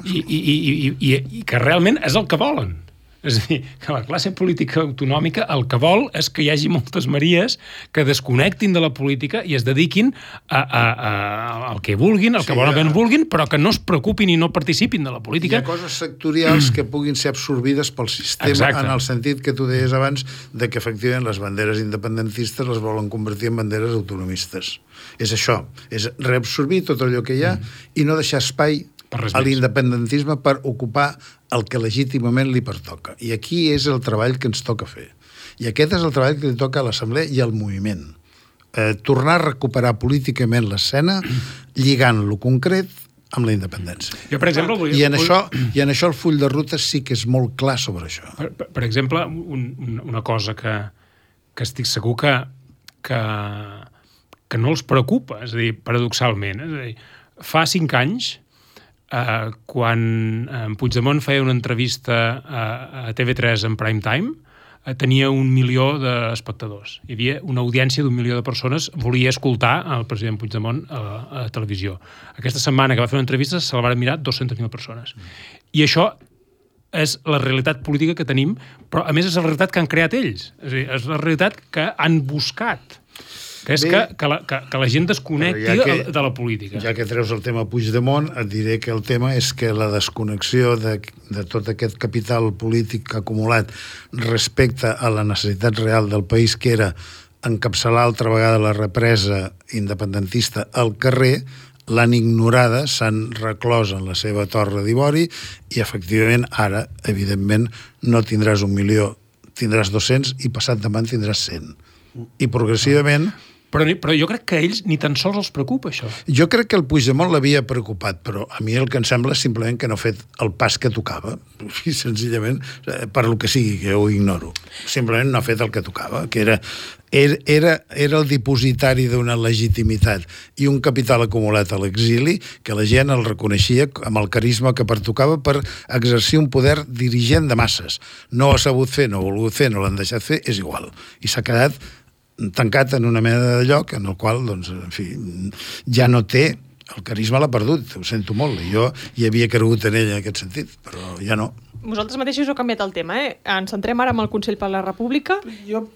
i que realment és el que volen. És a dir, que la classe política autonòmica el que vol és que hi hagi moltes Maries que desconnectin de la política i es dediquin al que vulguin, al que bonament vulguin, però que no es preocupin i no participin de la política. Hi ha coses sectorials que puguin ser absorbides pel sistema. Exacte. En el sentit que tu deies abans de que efectivament les banderes independentistes les volen convertir en banderes autonomistes. És això, és reabsorbir tot allò que hi ha i no deixar espai a l'independentisme per ocupar el que legítimament li pertoca. I aquí és el treball que ens toca fer. I aquest és el treball que li toca a l'Assemblea i al moviment. Tornar a recuperar políticament l'escena lligant lo concret amb la independència. Jo, per exemple, I en això el full de ruta sí que és molt clar sobre això. Per exemple, una cosa que estic segur que no els preocupa, és a dir, paradoxalment. És a dir, fa 5 anys, quan Puigdemont feia una entrevista a TV3 en prime time, tenia 1 milió d'espectadors. Hi havia una audiència d'1 milió de persones volia escoltar el president Puigdemont a la televisió. Aquesta setmana que va fer una entrevista se la van mirar 200.000 persones. I això és la realitat política que tenim, però a més és la realitat que han creat ells. És a dir, és la realitat que han buscat. Que és que la gent desconnecti de la política. Ja que treus el tema Puigdemont, et diré que el tema és que la desconnexió de tot aquest capital polític acumulat respecte a la necessitat real del país, que era encapçalar altra vegada la represa independentista al carrer, l'han ignorada, s'han reclòs en la seva torre d'ivori i, efectivament, ara, evidentment, no tindràs 1 milió, tindràs 200 i passat demà en tindràs 100. I progressivament Però jo crec que a ells ni tan sols els preocupa, això. Jo crec que el Puigdemont l'havia preocupat, però a mi el que em sembla és simplement que no ha fet el pas que tocava. I senzillament, per lo que sigui, que ho ignoro. Simplement no ha fet el que tocava, que era el dipositari d'una legitimitat i un capital acumulat a l'exili que la gent el reconeixia amb el carisma que pertocava per exercir un poder dirigent de masses. No ho ha sabut fer, no ho ha volgut fer, no l'han deixat fer, és igual. I s'ha quedat tancat en una mena de lloc en el qual, doncs, en fi, ja no té, el carisma l'ha perdut, ho sento molt, jo hi havia cregut en ell en aquest sentit, però ja no. Vosaltres mateixos heu canviat el tema, Ens centrem ara en el Consell per la República. Jo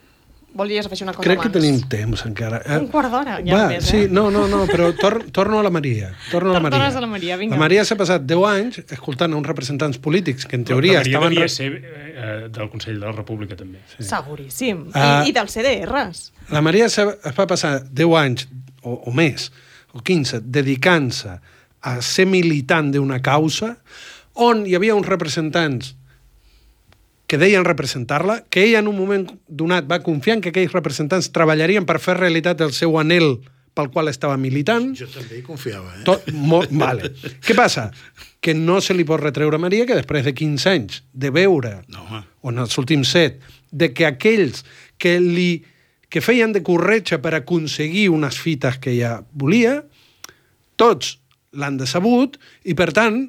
Volies afegir una cosa crec abans? que tenim temps encara. Un quart d'hora, ja Va, més, sí, no, però torno a la Maria. Tornes a la Maria, vinga. La Maria s'ha passat 10 anys escoltant uns representants polítics que en teoria la Maria estaven... devia ser del Consell de la República, també. Sí. Seguríssim. I dels CDRs. La Maria es va passar 10 anys o més, o 15, dedicant-se a ser militant d'una causa on hi havia uns representants que deien representar-la, que ella en un moment donat va confiar en que aquells representants treballarien per fer realitat el seu anhel pel qual estava militant. Jo també hi confiava, Vale. Què passa? Que no se li pot retreure a Maria que després de 15 anys de veure, o en els últims 7, de que aquells que feien de corretja per aconseguir unes fites que ella volia, tots l'han decebut i, per tant,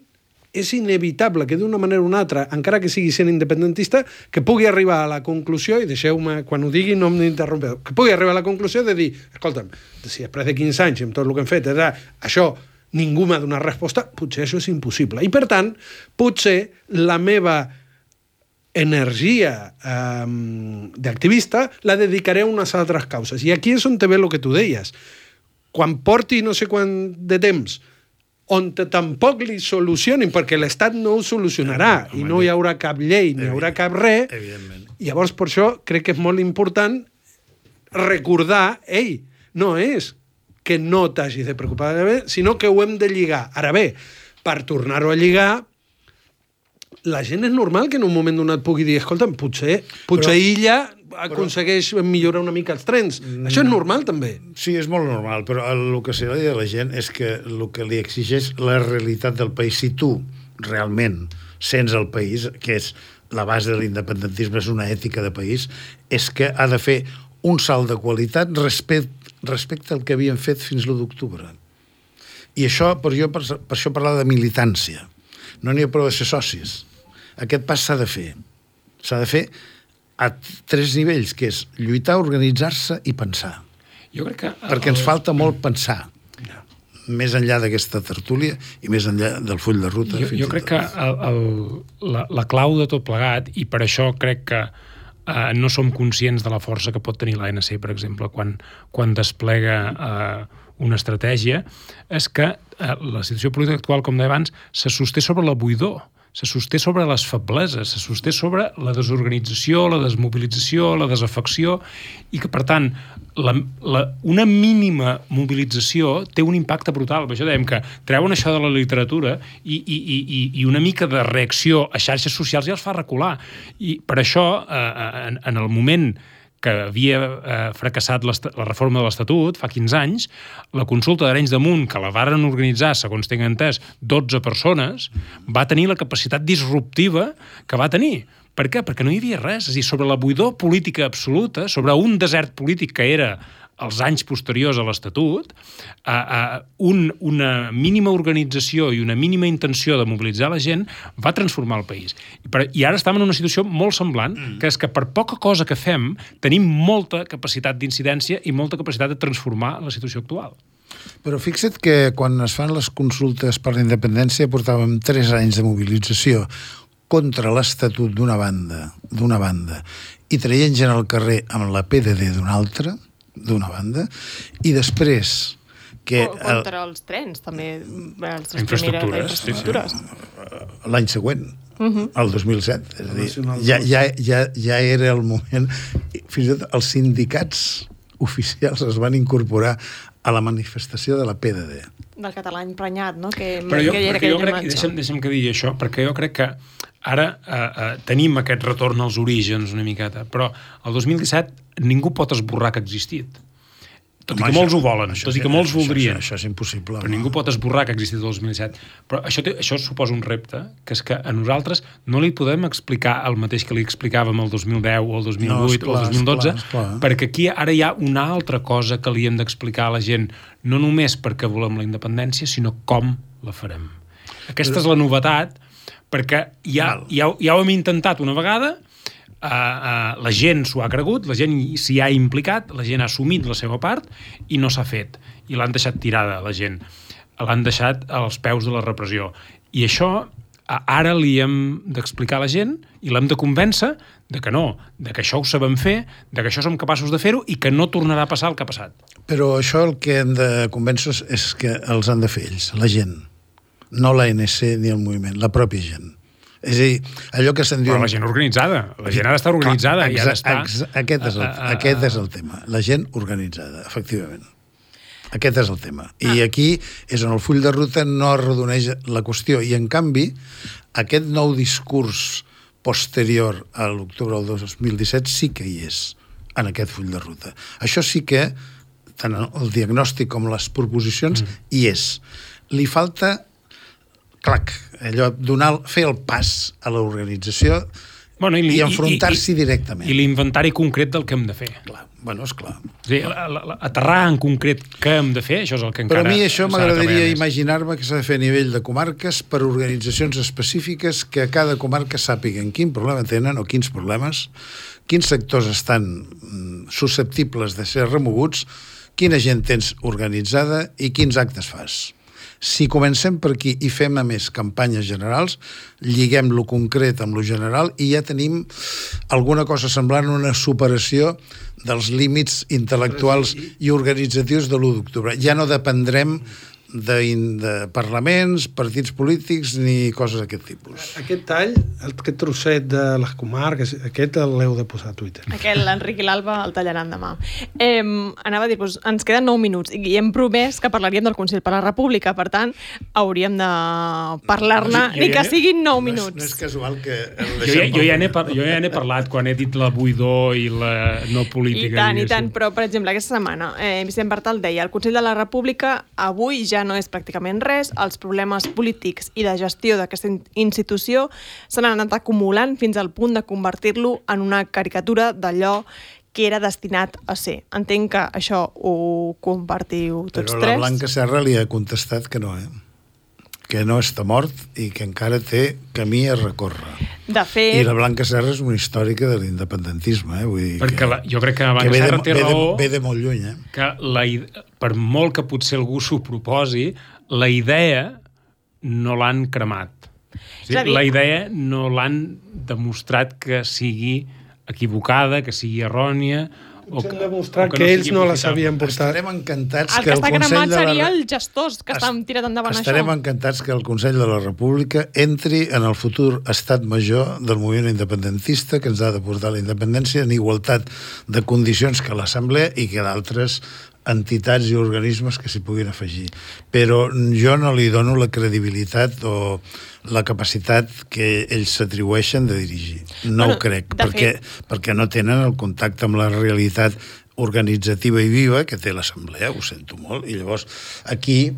és inevitable que d'una manera o una altra, encara que sigui sent independentista, que pugui arribar a la conclusió, i deixeu-me, quan ho digui no m'interrompeu, que pugui arribar a la conclusió de dir, escolta'm, si després de 15 anys amb tot el que hem fet, això ningú m'ha donat resposta, potser això és impossible. I per tant, potser la meva energia d'activista la dedicaré a unes altres causes. I aquí és on te ve el que tu deies. Quan porti no sé quant de temps on tampoc li solucionin, perquè l'Estat no ho solucionarà, i no hi haurà cap llei, ni hi haurà cap res, llavors per això crec que és molt important recordar, no és que no t'hagis de preocupar, sinó que ho hem de lligar. Ara bé, per tornar-ho a lligar, la gent és normal que en un moment donat pugui dir, escolta'm, potser illa aconsegueix millorar una mica els trens. Això és normal, també. Sí, és molt normal, però el que se li diu a la gent és que el que li exigeix la realitat del país, si tu realment sents el país, que és la base de l'independentisme, és una ètica de país, és que ha de fer un salt de qualitat respecte al que havien fet fins l'1 d'octubre. I això, per això parlava de militància. No n'hi ha prou de ser socis. Aquest pas s'ha de fer. S'ha de fer a 3 nivells, que és lluitar, organitzar-se i pensar. Jo crec que... Perquè ens falta molt pensar. Més enllà d'aquesta tertúlia i més enllà del full de ruta. Jo crec que la clau de tot plegat, i per això crec que no som conscients de la força que pot tenir l'ANC, per exemple, quan desplega una estratègia, és que la situació política actual, com deia abans, se sosté sobre la buidor, se sosté sobre les febleses, se sosté sobre la desorganització, la desmobilització, la desafecció, i que, per tant, una mínima mobilització té un impacte brutal. Per això dèiem que treuen això de la literatura i una mica de reacció a xarxes socials ja els fa recular. I per això, en el moment que havia fracassat la reforma de l'Estatut, fa 15 anys, la consulta d'Arenys de Munt, que la varen organitzar, segons tinc entès, 12 persones, va tenir la capacitat disruptiva que va tenir. Per què? Perquè no hi havia res. És a dir, sobre la buidor política absoluta, sobre un desert polític que era els anys posteriors a l'Estatut, una mínima organització i una mínima intenció de mobilitzar la gent va transformar el país. I ara estem en una situació molt semblant, que és que per poca cosa que fem tenim molta capacitat d'incidència i molta capacitat de transformar la situació actual. Però fixa't que quan es fan les consultes per la independència portàvem 3 anys de mobilització contra l'Estatut d'una banda i traient gent al carrer amb la PDD d'una banda, i després que... Contra els trens, també. Les infraestructures. L'any següent, el 2007. És a dir, ja era el moment... Fins i tot els sindicats oficials es van incorporar a la manifestació de la PDD. Del català emprenyat, no? Però jo crec, deixa'm que digui això, perquè jo crec que ara tenim aquest retorn als orígens una miqueta, però el 2017 ningú pot esborrar que ha existit. Tot i que molts ho volen, tot i que molts voldrien. Això és impossible. Però ningú pot esborrar que ha existit el 2017. Però això suposa un repte, que és que a nosaltres no li podem explicar el mateix que li explicàvem el 2010 o el 2008 o el 2012, perquè aquí ara hi ha una altra cosa que li hem d'explicar a la gent, no només perquè volem la independència, sinó com la farem. Aquesta és la novetat, perquè ja ho hem intentat una vegada, la gent s'ho ha cregut, la gent s'hi ha implicat, la gent ha assumit la seva part i no s'ha fet. I l'han deixat tirada, la gent. L'han deixat als peus de la repressió. I això ara li hem d'explicar a la gent i l'hem de convèncer de que no, de que això ho sabem fer, de que això som capaços de fer-ho i que no tornarà a passar el que ha passat. Però això el que hem de convèncer és que els han de fer ells, la gent. No l'ANC ni el moviment, la pròpia gent. És a dir, allò que se'n diu... Però la gent organitzada. La gent ha d'estar organitzada. Clar, aquest és el tema. La gent organitzada, efectivament. Aquest és el tema. I aquí és on el full de ruta no arrodoneix la qüestió. I, en canvi, aquest nou discurs posterior a l'octubre del 2017 sí que hi és, en aquest full de ruta. Això sí que, tant el diagnòstic com les proposicions, hi és. Li falta... clac, allò, fer el pas a l'organització i enfrontar-s'hi directament. I l'inventari concret del que hem de fer. Clar, bueno, esclar. És a dir, aterrar en concret què hem de fer, això és el que encara... Però a mi això m'agradaria imaginar-me que s'ha de fer a nivell de comarques per organitzacions específiques que a cada comarca sàpiguen quin problema tenen o quins problemes, quins sectors estan susceptibles de ser remoguts, quina gent tens organitzada i quins actes fas. Si comencem per aquí i fem, a més, campanyes generals, lliguem lo concret amb lo general i ja tenim alguna cosa semblant a una superació dels límits intel·lectuals i organitzatius de l'1 d'octubre. Ja no dependrem de parlaments, partits polítics ni coses d'aquest tipus. Aquest tall, aquest trosset de les comarques, aquest l'heu de posar a Twitter. Aquest, l'Enric i l'Alba el tallaran demà. Anava a dir-vos, ens queden 9 minuts i hem promès que parlaríem del Consell per la República, per tant, hauríem de parlar-ne ni que siguin 9 minuts. No és casual que... Jo ja n'he parlat quan he dit la buidor i la no política. I tant, però, per exemple, aquesta setmana Vicent Bartal deia, el Consell de la República avui ja no és pràcticament res, els problemes polítics i de gestió d'aquesta institució s'han anat acumulant fins al punt de convertir-lo en una caricatura d'allò que era destinat a ser. Entenc que això ho compartiu tots tres. Però la Blanca Serra li ha contestat que no, que no està mort i que encara té camí a recórrer. De fet... I la Blanca Serra és una històrica de l'independentisme, vull dir perquè jo crec que la Blanca Serra té raó... Ve de molt lluny, que per molt que potser algú s'ho proposi, la idea no l'han cremat. La idea no l'han demostrat que sigui equivocada, que sigui errònia... Potser han demostrat que ells no la sabien portar. Estarem encantats que el Consell de la... seria els gestors que estan tirant endavant això. Estarem encantats que el Consell de la República entri en el futur estat major del moviment independentista que ens ha de portar la independència en igualtat de condicions que l'Assemblea i que d'altres entitats i organismes que s'hi puguin afegir. Però jo no li dono la credibilitat o la capacitat que ells s'atribueixen de dirigir. No ho crec, perquè no tenen el contacte amb la realitat organitzativa i viva que té l'Assemblea, ho sento molt, i llavors aquí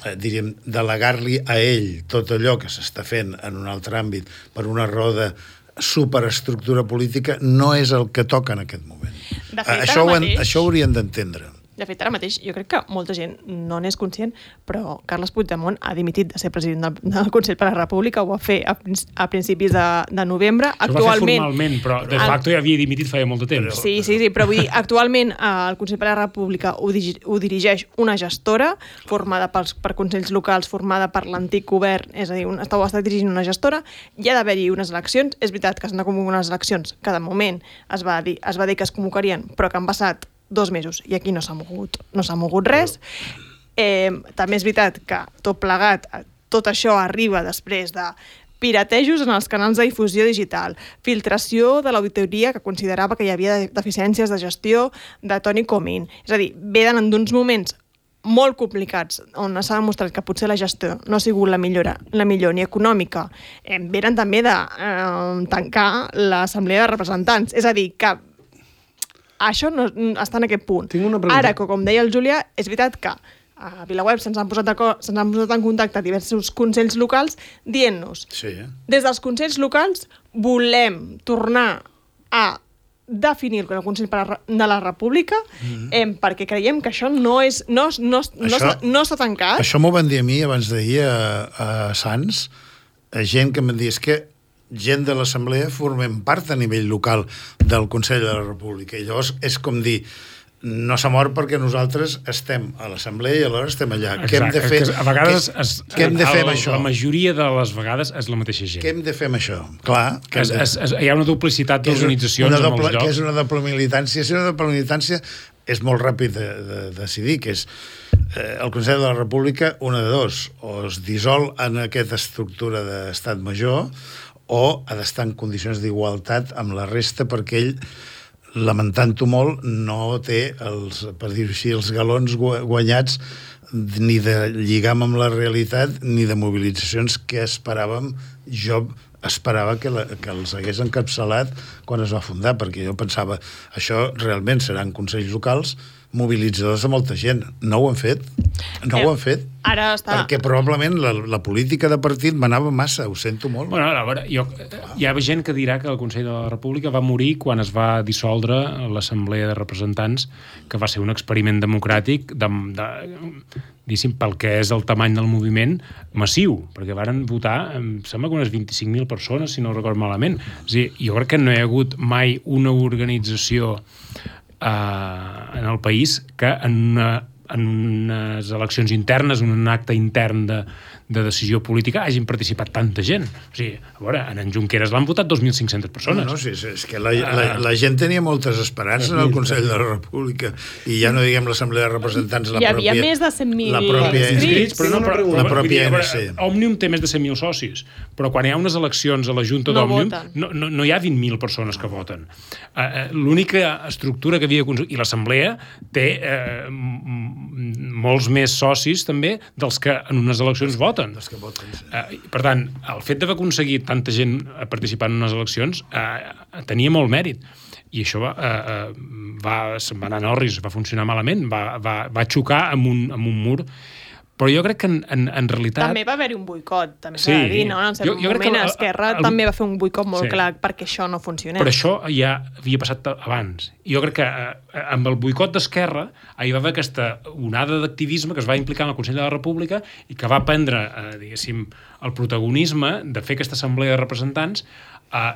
diríem, delegar-li a ell tot allò que s'està fent en un altre àmbit per una raó de superestructura política no és el que toca en aquest moment. Això ho haurien d'entendre. De fet, ara mateix, jo crec que molta gent no n'és conscient, però Carles Puigdemont ha dimitit de ser president del Consell per la República, ho va fer a principis de novembre. Ho va fer formalment, però de facto ja havia dimitit feia molt de temps. Sí, però vull dir, actualment el Consell per la República ho dirigeix una gestora formada per consells locals, formada per l'antic govern, és a dir, ho està dirigint una gestora, hi ha d'haver-hi unes eleccions, és veritat que s'han de convocar unes eleccions, que de moment es va dir que es convocarien, però que han passat 2 mesos i aquí no s'ha mogut res. També és veritat que tot plegat, tot això arriba després de piratejos en els canals de difusió digital, filtració de l'auditoria que considerava que hi havia deficiències de gestió de Toni Comín. És a dir, venen d'uns moments molt complicats, on s'ha demostrat que potser la gestió no ha sigut la millor ni econòmica. Venen també de tancar l'Assemblea de Representants. És a dir, que això no està en aquest punt. Tinc una pregunta. Ara, com deia el Julià, és veritat que a VilaWeb se'ns han posat en contacte diversos consells locals dient-nos, des dels consells locals volem tornar a definir el Consell de la República perquè creiem que això no està tancat. Això m'ho van dir a mi abans d'ahir a Sants, gent que em dir, és que gent de l'Assemblea formem part a nivell local del Consell de la República, i llavors és com dir, no s'ha mort perquè nosaltres estem a l'Assemblea i alhora estem allà. Exacte. Què hem de fer? A vegades què hem de fer amb això? La majoria de les vegades és la mateixa gent. Què hem de fer amb això? Clar, hi ha una duplicitat d'organitzacions en molts llocs. Què és una doble militància? Si una doble militància és molt ràpid de decidir, que és el Consell de la República, una de dos, o es dissol en aquesta estructura d'estat major o ha d'estar en condicions d'igualtat amb la resta perquè ell, lamentant-ho molt, no té per dir-ho així, els galons guanyats ni de lligam amb la realitat ni de mobilitzacions que esperàvem. Jo esperava que els hagués encapçalat quan es va fundar, perquè jo pensava això realment seran consells locals mobilitzadors de molta gent. No ho han fet. No ho han fet. Ara està... Perquè probablement la política de partit manava massa, ho sento molt. Bueno, a veure, hi ha gent que dirà que el Consell de la República va morir quan es va dissoldre l'Assemblea de Representants, que va ser un experiment democràtic diguéssim, pel que és el tamany del moviment massiu, perquè varen votar, em sembla que unes 25.000 persones, si no record malament. És a dir, jo crec que no hi ha hagut mai una organització en el país que en unes eleccions internes, en un acte intern de decisió política, hagin participat tanta gent. O sigui, a veure, en Junqueras l'han votat 2.500 persones. No, sí, és que la gent tenia moltes esperances en el Consell de la República, i ja no diguem l'Assemblea de Representants, hi havia més de 100.000 inscrits. La pròpia ANC. Òmnium té més de 100.000 socis, però quan hi ha unes eleccions a la Junta d'Òmnium, no hi ha 20.000 persones que voten. L'única estructura que havia aconseguit, i l'Assemblea té molts més socis també dels que en unes eleccions voten. Per tant, el fet d'haver aconseguit tanta gent participant en unes eleccions tenia molt mèrit. I això se'n va anar a Norris, va funcionar malament, va xocar amb un mur. Però jo crec que en realitat... També va haver-hi un boicot, també s'ha de dir, no? En cert moment Esquerra també va fer un boicot molt clar perquè això no funcionés. Però això ja havia passat abans. Jo crec que amb el boicot d'Esquerra hi va haver aquesta onada d'activisme que es va implicar en el Consell de la República i que va prendre, diguéssim, el protagonisme de fer aquesta assemblea de representants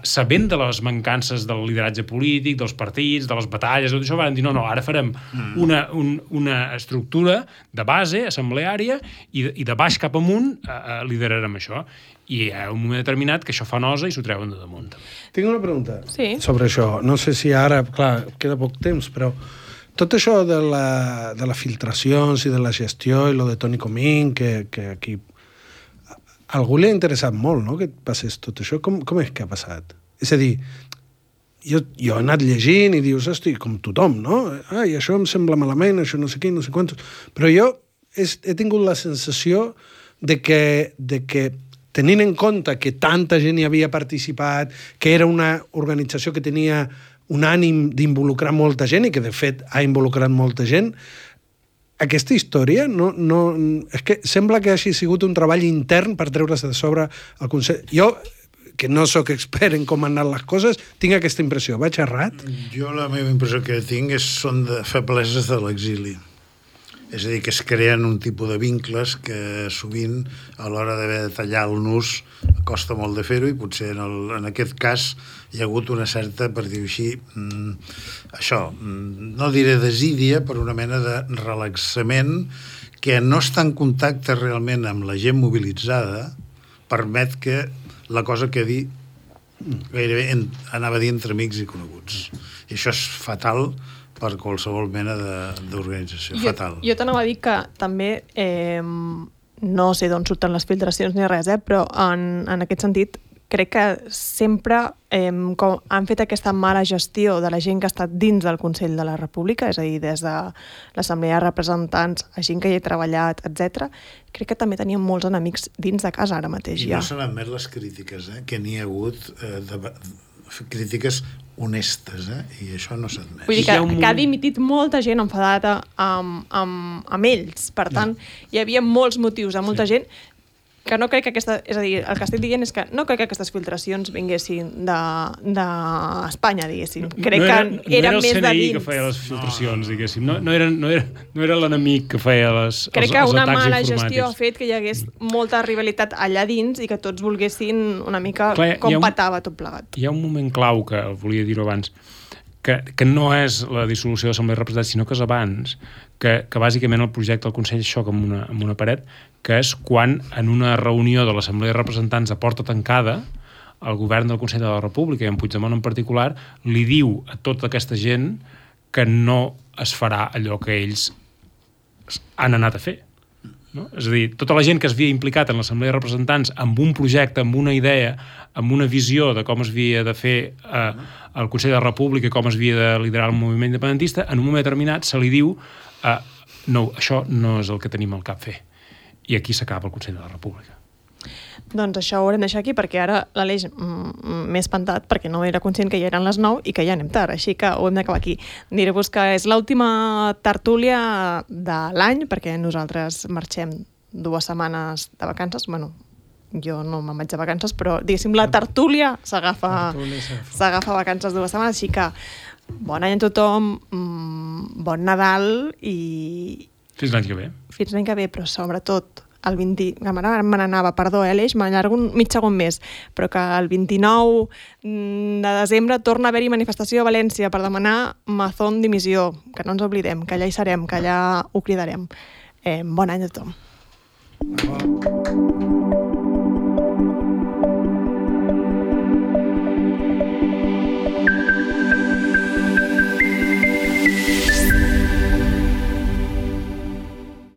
sabent de les mancances del lideratge polític, dels partits, de les batalles, tot això, van dir, no, ara farem una estructura de base assembleària i de baix cap amunt liderarem això. I hi ha un moment determinat que això fa nosa i s'ho treuen de damunt. Tinc una pregunta sobre això. No sé si ara, clar, queda poc temps, però tot això de les filtracions i de la gestió i lo de Toni Comín, que aquí a algú li ha interessat molt, no?, que passés tot això. Com és que ha passat? És a dir, jo he anat llegint i dius, hosti, com tothom, no? Ai, això em sembla malament, això no sé què, no sé quantos. Però jo he tingut la sensació de que tenint en compte que tanta gent hi havia participat, que era una organització que tenia un ànim d'involucrar molta gent i que, de fet, ha involucrat molta gent, aquesta història és que sembla que hagi sigut un treball intern per treure's de sobre el Consell. Jo, que no sóc expert en com han anat les coses, tinc aquesta impressió. Vaig errat? Jo la meva impressió que tinc són de febleses de l'exili. És a dir, que es creen un tipus de vincles que sovint a l'hora d'haver de tallar el nus costa molt de fer-ho, i potser en aquest cas hi ha hagut una certa, per dir-ho així, això, no diré desídia, però una mena de relaxament que no està en contacte realment amb la gent mobilitzada, permet que la cosa quedi gairebé, anava a dir, entre amics i coneguts. I això és fatal per qualsevol mena d'organització. Fatal. Jo t'anava a dir que també, no sé d'on surten les filtracions ni res, però en aquest sentit crec que sempre com han fet aquesta mala gestió de la gent que ha estat dins del Consell de la República, és a dir, des de l'Assemblea de Representants, a gent que hi ha treballat, etc. Crec que també tenien molts enemics dins de casa ara mateix. I no s'han admet les crítiques, que n'hi ha hagut crítiques honestes, i això no s'admet. Vull dir que ha dimitit molta gent enfadada amb ells. Per tant, hi havia molts motius a molta gent que no crec que és a dir, el que estic dient és que no crec que aquestes filtracions vinguessin d'Espanya, diguéssim. Crec que eren més de dins. No era el CNI que feia les filtracions, diguéssim. No era l'enemic que feia els atacs informàtics. Crec que una mala gestió ha fet que hi hagués molta rivalitat allà dins i que tots volguessin una mica com petava tot plegat. Hi ha un moment clau que volia dir-ho abans, que no és la dissolució de l'Assemblea de Representants, sinó que és abans, que bàsicament el projecte del Consell xoca amb una paret, que és quan en una reunió de l'Assemblea de Representants a porta tancada el govern del Consell de la República, i en Puigdemont en particular, li diu a tota aquesta gent que no es farà allò que ells han anat a fer. No? És a dir, tota la gent que es havia implicat en l'Assemblea de Representants amb un projecte, amb una idea, amb una visió de com es havia de fer el Consell de la República i com es havia de liderar el moviment independentista, en un moment determinat se li diu no, això no és el que tenim al cap fer. I aquí s'acaba el Consell de la República. Doncs això ho haurem de deixar aquí, perquè ara l'Aleix m'he espantat, perquè no era conscient que ja eren les 9 i que ja anem tard, així que ho hem d'acabar aquí. Diré-vos que és l'última tertúlia de l'any, perquè nosaltres marxem 2 setmanes de vacances. Bueno, jo no me'n vaig de vacances, però diguéssim, la tertúlia s'agafa vacances 2 setmanes, així que bon any a tothom, bon Nadal i... Fins l'any que ve. Fins l'any que ve, però sobretot el 20... Ara me n'anava, perdó, Aleix, m'allargo mig segon més, però que el 29 de desembre torna a haver-hi manifestació a València per demanar Mazón dimissió, que no ens oblidem, que allà hi serem, que allà ho cridarem. Bon any a tothom.